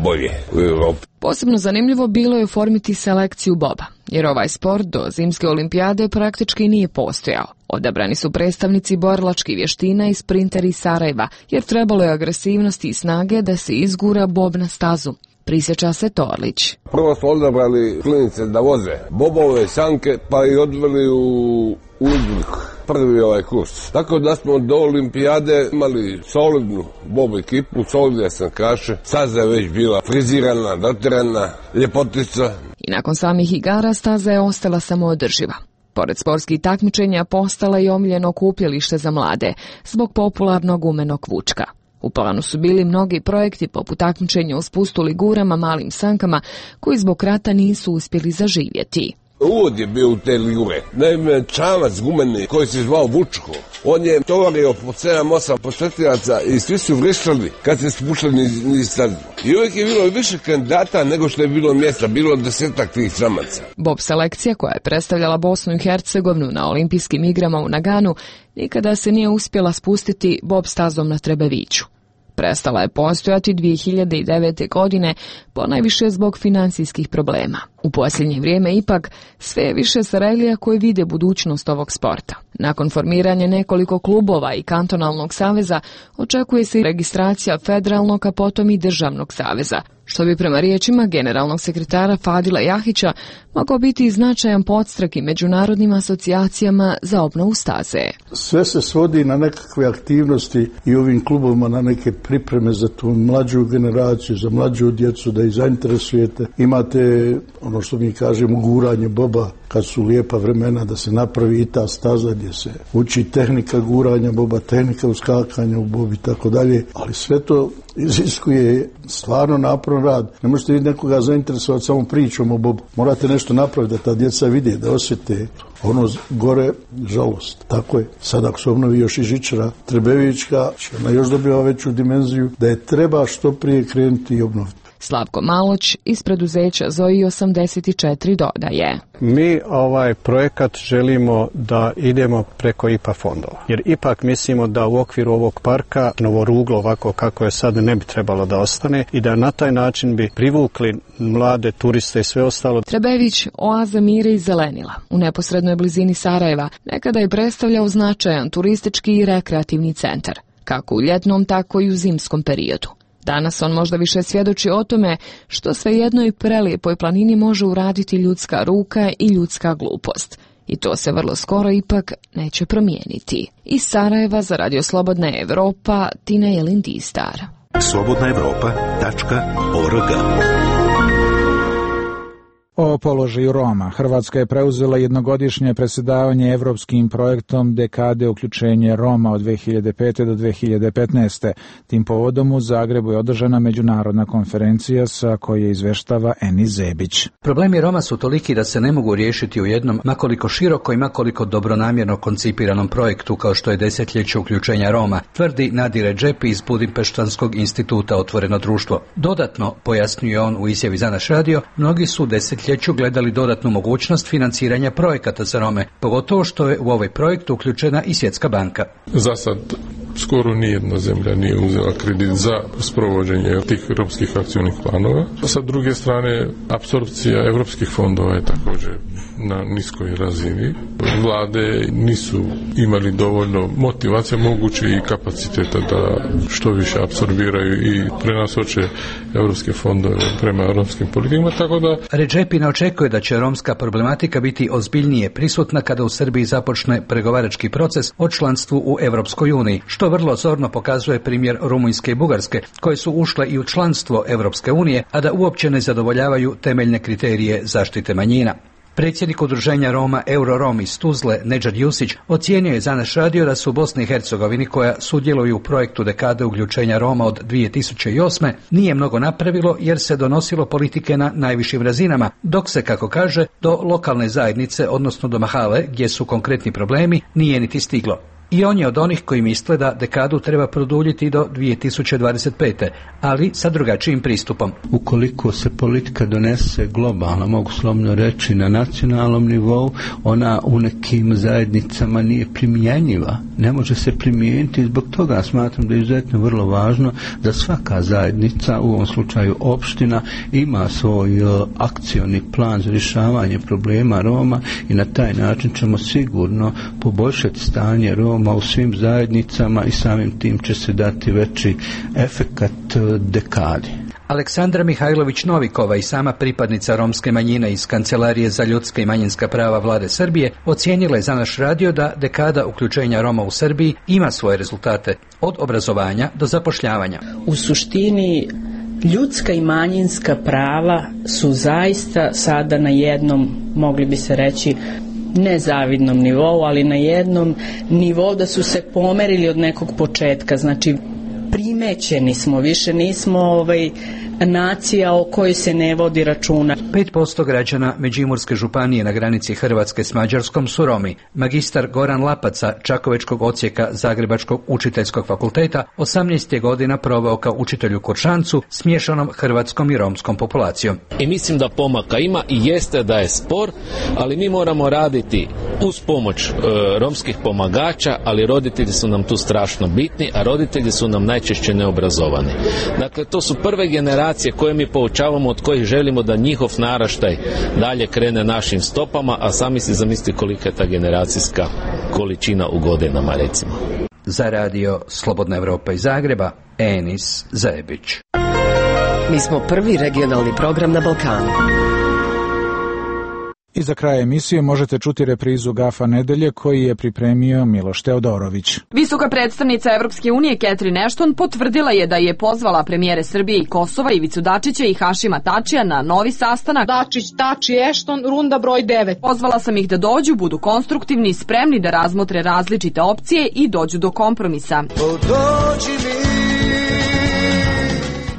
bolje u Europi. Posebno zanimljivo bilo je oformiti selekciju boba, jer ovaj sport do zimske olimpijade praktički nije postojao. Odabrani su predstavnici borilačkih vještina i sprinteri iz Sarajeva, jer trebalo je agresivnosti i snage da se izgura bob na stazu. Prisjeća se Torlić. Prvo smo odabrali klinice da voze bobove, sanke, pa i odveli u Uzbek prvi kurs. Tako da smo do olimpijade imali solidnu bob ekipu, solidne sankaše, staza je već bila frizirana, dotirana, ljepotica. I nakon samih igara staza je ostala samoodrživa. Pored sportskih takmičenja postala i omiljeno okupljalište za mlade, zbog popularnog umenog vučka. U planu su bili mnogi projekti poput takmičenja u spustu ligurama, malim sankama, koji zbog rata nisu uspjeli zaživjeti. Uvod je bio u te ligure. Naime, čamac gumeni koji se zvao Vučko, on je tovario po 7-8 posjetilaca i svi su vrištali kad se spuštali niz stazu. I uvijek je bilo više kandidata nego što je bilo mjesta, bilo 10-ak tih čamaca. Bob selekcija koja je predstavljala Bosnu i Hercegovinu na olimpijskim igrama u Naganu nikada se nije uspjela spustiti bob stazom na Trebeviću. Prestala je postojati 2009. godine, ponajviše zbog financijskih problema. U posljednje vrijeme ipak sve je više Sarajlija koji vide budućnost ovog sporta. Nakon formiranja nekoliko klubova i kantonalnog saveza očekuje se i registracija federalnog, a potom i državnog saveza, što bi prema riječima generalnog sekretara Fadila Jahića mogao biti značajan podstrek i međunarodnim asocijacijama za obnovu staze. Sve se svodi na nekakve aktivnosti i ovim klubovima na neke pripreme za tu mlađu generaciju, za mlađu djecu, da ih zainteresujete. Imate ono što mi kažemo guranje boba, kad su lijepa vremena da se napravi i ta staza gdje se uči tehnika guranja boba, tehnika uskakanja u bobi i tako dalje, ali sve to iziskuje stvarno naporan rad. Ne možete vi nekoga zainteresovati samo pričom o bobu. Morate nešto napraviti da ta djeca vide, da osjete ono gore žalost. Tako je. Sad ako se obnovi još i žičara Trebevićka, ona još dobiva veću dimenziju, da je treba što prije krenuti i obnoviti. Slavko Maloć iz preduzeća Zoji 84 dodaje. Mi ovaj projekat želimo da idemo preko IPA fondova. Jer ipak mislimo da u okviru ovog parka novo ruglo ovako kako je sad ne bi trebalo da ostane i da na taj način bi privukli mlade turiste i sve ostalo. Trebević, oaza mira i zelenila, u neposrednoj blizini Sarajeva, nekada je predstavljao značajan turistički i rekreativni centar, kako u ljetnom, tako i u zimskom periodu. Danas on možda više svjedoči o tome što sve jednoj prelijepoj planini može uraditi ljudska ruka i ljudska glupost. I to se vrlo skoro ipak neće promijeniti. Iz Sarajeva za Radio Slobodna Evropa, Tina Jelindistar. slobodnaevropa.org. O položaju Roma, Hrvatska je preuzela jednogodišnje predsjedavanje evropskim projektom Dekade uključenje Roma od 2005. do 2015. Tim povodom u Zagrebu je održana međunarodna konferencija sa koje izveštava Eni Zebić. Problemi Roma su toliki da se ne mogu riješiti u jednom, makoliko široko i makoliko dobronamjerno koncipiranom projektu kao što je desetljeće uključenja Roma, tvrdi Nadir Redžepi iz Budimpeštanskog instituta Otvoreno društvo. Dodatno, pojasnjuje on u izjavi za naš radio, mnogi su desetljeću gledali dodatnu mogućnost financiranja projekata za Rome, pogotovo što je u ovaj projekt uključena i Svjetska banka. Za sad skoro nijedna zemlja nije uzela kredit za sprovođenje tih romskih akcijnih planova. Sa druge strane, apsorpcija evropskih fondova je također na niskoj razini. Vlade nisu imali dovoljno motivacija, moguće i kapaciteta da što više apsorbiraju i prenasoče evropske fondove prema romskim politikama, tako da... Redžepi ne očekuje da će romska problematika biti ozbiljnije prisutna kada u Srbiji započne pregovarački proces o članstvu u Evropskoj uniji, što vrlo zorno pokazuje primjer Rumunjske i Bugarske, koje su ušle i u članstvo Evropske unije, a da uopće ne zadovoljavaju temeljne kriterije zaštite manjina. Predsjednik udruženja Roma Eurorom iz Tuzle, Nedžad Jusić, ocijenio je za naš radio da su u Bosni i Hercegovini, koja sudjeluju u projektu dekade uključenja Roma od 2008. nije mnogo napravilo jer se donosilo politike na najvišim razinama, dok se, kako kaže, do lokalne zajednice, odnosno do mahale, gdje su konkretni problemi, nije niti stiglo. I on je od onih koji misle da dekadu treba produljiti do 2025. ali sa drugačijim pristupom. Ukoliko se politika donese globalno, mogu slobodno reći na nacionalnom nivou, ona u nekim zajednicama nije primjenjiva. Ne može se primijeniti, zbog toga smatram da je izuzetno vrlo važno da svaka zajednica, u ovom slučaju opština, ima svoj akcioni plan za rješavanje problema Roma i na taj način ćemo sigurno poboljšati stanje Roma u svim zajednicama i samim tim će se dati veći efekat dekadi. Aleksandra Mihajlović-Novikova, i sama pripadnica romske manjine iz Kancelarije za ljudska i manjinska prava Vlade Srbije, ocijenila je za naš radio da dekada uključenja Roma u Srbiji ima svoje rezultate, od obrazovanja do zapošljavanja. U suštini, ljudska i manjinska prava su zaista sada na jednom, mogli bi se reći, nezavidnom nivou, ali na jednom nivou da su se pomerili od nekog početka. Znači, primećeni smo, više nismo nacija o kojoj se ne vodi računa. 5% građana Međimurske županije na granici Hrvatske s Mađarskom su Romi. Magistar Goran Lapaca, Čakovečkog odsjeka Zagrebačkog učiteljskog fakulteta, 18 je godina proveo kao učitelj u Kuršancu s miješanom hrvatskom i romskom populacijom. I mislim da pomaka ima i jeste da je spor, ali mi moramo raditi uz pomoć romskih pomagača, ali roditelji su nam tu strašno bitni, a roditelji su nam najčešće neobrazovani. Dakle, to su prve generacije koje mi poučavamo, od kojih želimo da njihov naraštaj dalje krene našim stopama, a sami si zamislite kolika je ta generacijska količina u godinama, recimo. Za radio Slobodna Evropa iz Zagreba, Enis Zajebić. Mi smo prvi regionalni program na Balkanu. I za kraj emisije možete čuti reprizu Gafa nedelje koji je pripremio Miloš Teodorović. Visoka predstavnica Evropske unije Catherine Ashton potvrdila je da je pozvala premijere Srbije i Kosova Ivicu Dačića i Hašima Tačija na novi sastanak. Dačić, Tači, Ashton, runda broj 9. Pozvala sam ih da dođu, budu konstruktivni, spremni da razmotre različite opcije i dođu do kompromisa.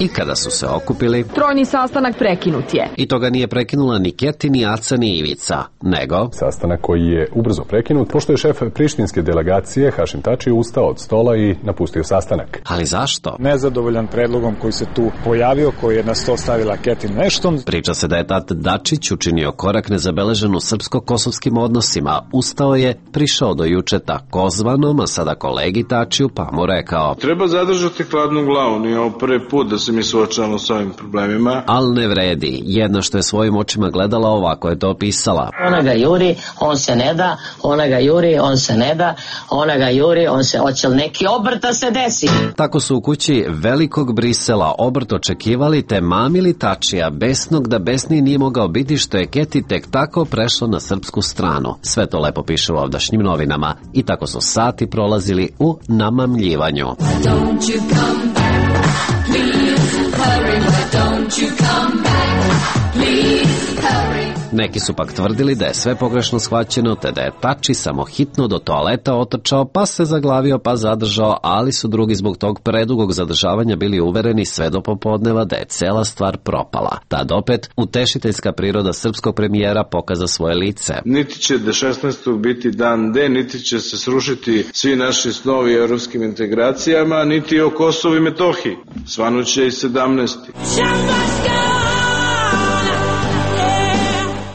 I kada su se okupili, trojni sastanak prekinut je. I toga nije prekinula ni Keti, ni Aca, ni Ivica, nego sastanak koji je ubrzo prekinut, pošto je šef prištinske delegacije Hašim Tači ustao od stola i napustio sastanak. Ali zašto? Nezadovoljan predlogom koji se tu pojavio, koji je na sto stavila Catherine Ashton. Priča se da je tat Dačić učinio korak nezabeležen u srpsko-kosovskim odnosima. Ustao je, prišao do juče takozvanom, a sada kolegi Tačiju, pa mu rekao: treba zadržati hladnu glavu, nije ovo prvi put da se mi suočavamo s ovim problemima. Al ne vredi. Jedna što je svojim očima gledala, ovako je to opisala. Ona ga juri, on se ne da, ona ga juri, on se ne da, ona ga juri, on se, hoće li neki obrta se desi? Tako su u kući velikog Brisela obrt očekivali, te mamili Tačija, besnog da besniji nije mogao biti što je Keti tek tako prešla na srpsku stranu. Sve to lepo piše u ovdašnjim novinama. I tako su sati prolazili u namamljivanju. Don't you come back, please hurry, why don't you come back, please hurry. Neki su pak tvrdili da je sve pogrešno shvaćeno, te da je Tači samo hitno do toaleta otrčao, pa se zaglavio, pa zadržao, ali su drugi zbog tog predugog zadržavanja bili uvereni sve do popodneva da je cela stvar propala. Tad opet utešiteljska priroda srpskog premijera pokaza svoje lice. Niti će do 16. biti dan D, niti će se srušiti svi naši snovi evropskim integracijama, niti o Kosovu i Metohiji. Svanuće i 17.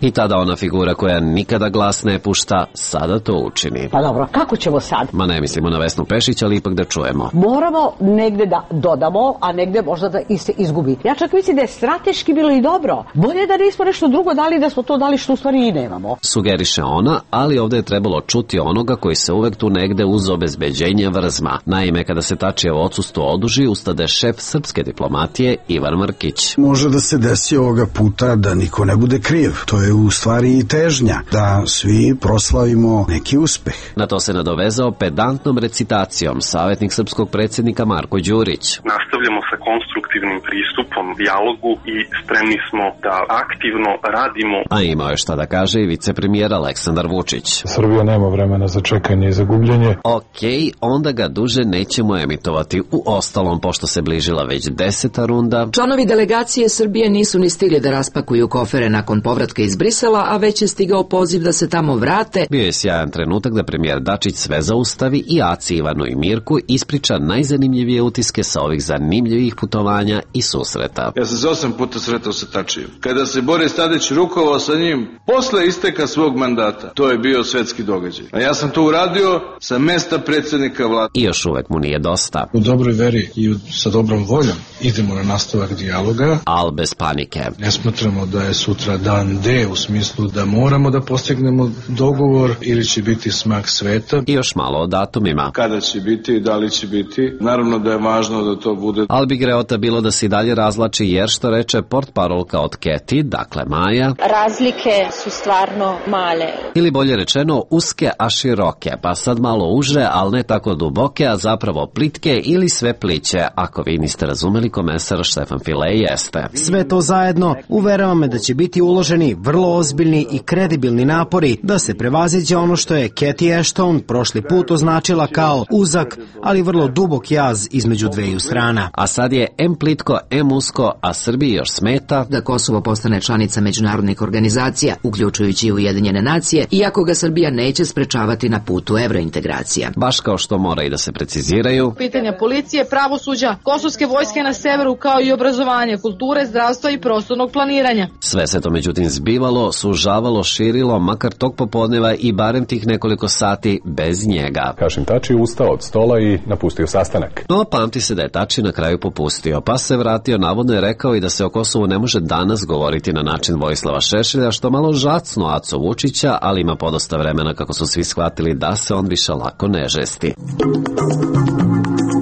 I tada ona figura koja nikada glas ne pušta, sada to učini. Pa dobro, kako ćemo sad? Ma ne mislimo na Vesnu Pešić, ali ipak da čujemo. Moramo negde da dodamo, a negde možda da se izgubi. Ja čak mislim da je strateški bilo i dobro. Bolje da nismo nešto drugo dali, da smo to dali što u stvari i nemamo. Sugeriše ona, ali ovde je trebalo čuti onoga koji se uvek tu negde uz obezbeđenje vrzma. Naime, kada se Tačijevo odsustvo oduži, ustade šef srpske diplomatije Ivan Mrkić. Može da se desi ovoga puta da niko ne bude kriv. To je u stvari i težnja, da svi proslavimo neki uspeh. Na to se nadovezao pedantnom recitacijom savjetnik srpskog predsjednika Marko Đurić. Nastavljamo sa konstruktivnim pristupom, dijalogu i spremni smo da aktivno radimo. A imao je šta da kaže i vicepremijer Aleksandar Vučić. Srbija nema vremena za čekanje i za gubljenje. Okej, onda ga duže nećemo emitovati. U ostalom, pošto se bližila već 10. runda. Članovi delegacije Srbije nisu ni stigli da raspakuju kofere nakon povratka iz Brisela, a već je stigao poziv da se tamo vrate. Bio je sjajan trenutak da premijer Dačić sve zaustavi i Aci, Ivanu i Mirku ispriča najzanimljivije utiske sa ovih zanimljivih putovanja i susreta. Ja sam se 8 puta sretao sa Tačijem. Kada se Boris Tadić rukovao sa njim posle isteka svog mandata, to je bio svetski događaj. A ja sam to uradio sa mesta predsjednika vlade. I još uvek mu nije dosta. U dobroj veri i sa dobrom voljom idemo na nastavak dijaloga. Al bez panike. Ne smatramo da je sutra dan D u smislu da moramo da postignemo dogovor ili će biti smak sveta. I još malo o datumima. Kada će biti i da li će biti. Naravno da je važno da to bude. Al bi greota bilo da se dalje razlači jer što reče portparolka od Keti, dakle Maja. Razlike su stvarno male. Ili bolje rečeno uske a široke, pa sad malo uže, ali ne tako duboke, a zapravo plitke ili sve pliće. Ako vi niste razumeli, komesar Štefan File jeste. Sve to zajedno uverava me da će biti uloženi vrlo ozbiljni i kredibilni napori da se prevaziđe ono što je Cathy Ashton prošli put označila kao uzak, ali vrlo dubok jaz između dveju strana. A sad je em plitko, em usko, a Srbiji još smeta da Kosovo postane članica međunarodnih organizacija, uključujući i Ujedinjene nacije, iako ga Srbija neće sprečavati na putu evrointegracija. Baš kao što mora i da se preciziraju pitanja policije, pravosuđa, kosovske vojske na severu, kao i obrazovanje, kulture, zdravstva i prostornog planiranja. Sve se to međutim zbivalo, sužavalo, širilo, makar tog popodneva i barem tih nekoliko sati bez njega. Hašim Tači ustao od stola i napustio sastanak. No, pamti se da je Tači na kraju popustio, pa se vratio, navodno je rekao i da se o Kosovu ne može danas govoriti na način Vojislava Šešelja, što malo žacno Aco Vučića, ali ima podosta vremena kako su svi shvatili da se on više lako ne žesti.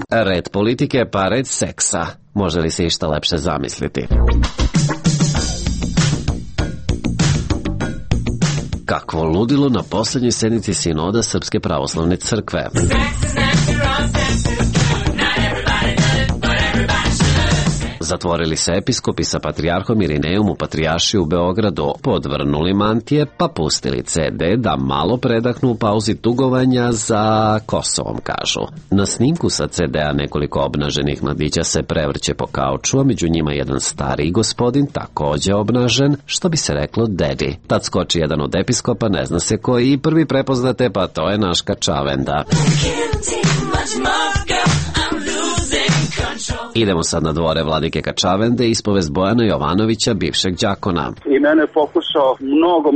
Red politike pa red seksa. Može li se išta lepše zamisliti? Kakvo ludilo na posljednjoj sednici sinoda Srpske pravoslavne crkve. Zatvorili se episkopi sa patrijarhom Irinejom u Patrijaršiji u Beogradu, podvrnuli mantije pa pustili CD da malo predahnu u pauzi tugovanja za Kosovom, kažu. Na snimku sa CD-a nekoliko obnaženih mladića se prevrće po kauču, a među njima jedan stariji gospodin, takođe obnažen, što bi se reklo dedi. Tad skoči jedan od episkopa, ne zna se koji, i prvi prepoznate, pa to je naš Kačavenda. Idemo sad na dvore vladike Kačavende, ispovest Bojana Jovanovića, bivšeg đakona. I mene je pokušao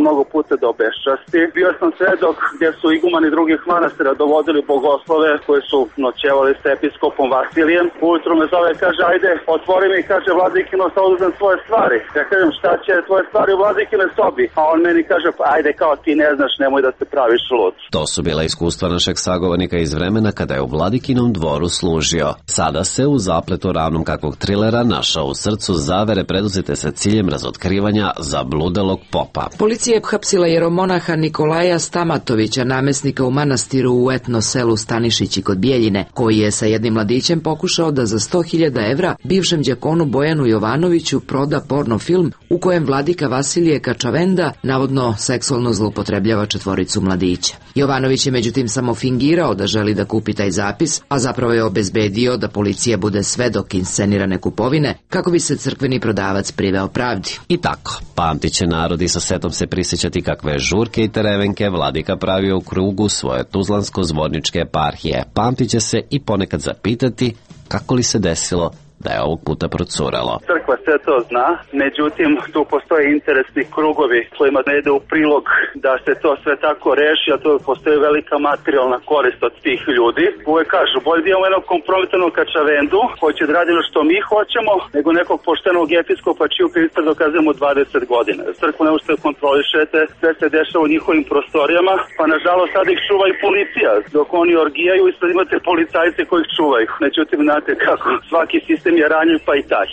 mnogo puta da obeščasti. Bio sam svedok gdje su igumani drugih manastira dovodili bogoslove koji su noćevali s episkopom Vasilijem. Ujutru me zove, kaže, ajde, otvori mi, kaže, vladikino, sad uzem svoje stvari. Ja kažem, šta će tvoje stvari u vladikine sobi? A on meni kaže, pa ajde, kao ti ne znaš, nemoj da se praviš lud. To su bila iskustva našeg sagovornika iz vremena kada je u vladikinom dvoru služio. Sada se u zapletu ravnom kakvog trilera našao u srcu zavere preduzete sa ciljem razotkrivanja zabludelog popa. Policija je hapsila jeromonaha Nikolaja Stamatovića, namesnika u manastiru u etno selu Stanišići kod Bijeljine, koji je sa jednim mladićem pokušao da za 100.000 evra bivšem đakonu Bojanu Jovanoviću proda porno film u kojem vladika Vasilije Kačavenda navodno seksualno zloupotrebljava četvoricu mladića. Jovanović je međutim samo fingirao da želi da kupi taj zapis, a zapravo je obezbedio da policija bude svedok inscenirane kupovine kako bi se crkveni prodavac priveo pravdi. I tako, pamtit će narod i sa setom se prisjećati kakve žurke i terevenke vladika pravio u krugu svoje tuzlansko-zvorničke eparhije. Pamtit će se i ponekad zapitati kako li se desilo da je ovog puta procuralo. Crkva sve to zna, međutim tu postoje interesni krugovi kojima ne ide u prilog da se to sve tako reši, a to postoji velika materijalna korist od tih ljudi. Uvijek kažu, bolje da imamo jednog kompromitanog kačavendu koji će da radi ono što mi hoćemo, nego nekog poštenog episkopa čiju krivicu dokazujemo 20 godina. Crkvu ne možete kontrolišete, sve se dešava u njihovim prostorijama, pa nažalost sad ih čuva i policija, dok oni orgijaju i sad imate policajce koji ih čuvaju. Međutim, znate kako, svaki sistem je ranjiv, pa i taj.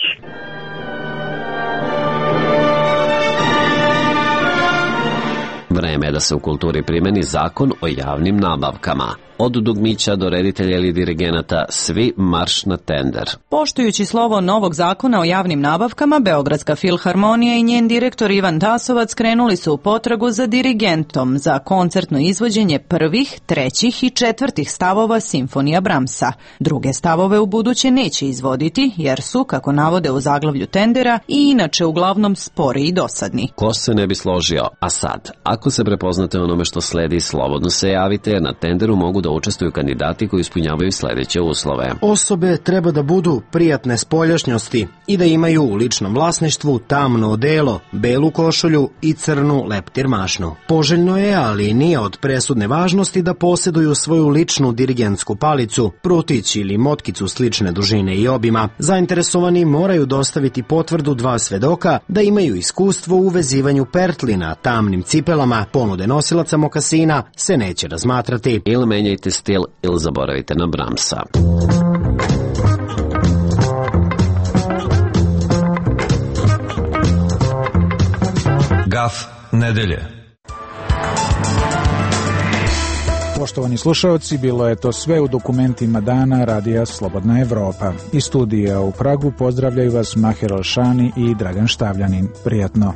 Vreme je da se u kulturi primeni zakon o javnim nabavkama. Od dugmića do reditelja ili dirigenata, svi marš na tender. Poštujući slovo novog zakona o javnim nabavkama, Beogradska filharmonija i njen direktor Ivan Tasovac krenuli su u potragu za dirigentom za koncertno izvođenje prvih, trećih i četvrtih stavova simfonija Bramsa. Druge stavove u buduće neće izvoditi, jer su, kako navode u zaglavlju tendera, i inače uglavnom spori i dosadni. Ko se ne bi složio? A sad, ako se prepoznate onome što sledi, slobodno se javite, jer na tenderu mogu da učestvuju kandidati koji ispunjavaju sledeće uslove. Osobe treba da budu prijatne spoljašnjosti i da imaju u ličnom vlasništvu tamno odelo, belu košulju i crnu leptir mašnu. Poželjno je, ali nije od presudne važnosti da posjeduju svoju ličnu dirigentsku palicu, prutić ili motkicu slične dužine i obima. Zainteresovani moraju dostaviti potvrdu 2 svedoka da imaju iskustvo u vezivanju pertlina tamnim cipelama. Ponude nosilaca mokasina se neće razmatrati. Ili menjajte stil ili zaboravite na Bramsa. Gaf nedelje. Poštovani slušalci, bilo je to sve u dokumentima dana Radija Slobodna Evropa. Iz studija u Pragu pozdravljaju vas Maher Alšani i Dragan Štavljanin. Prijatno.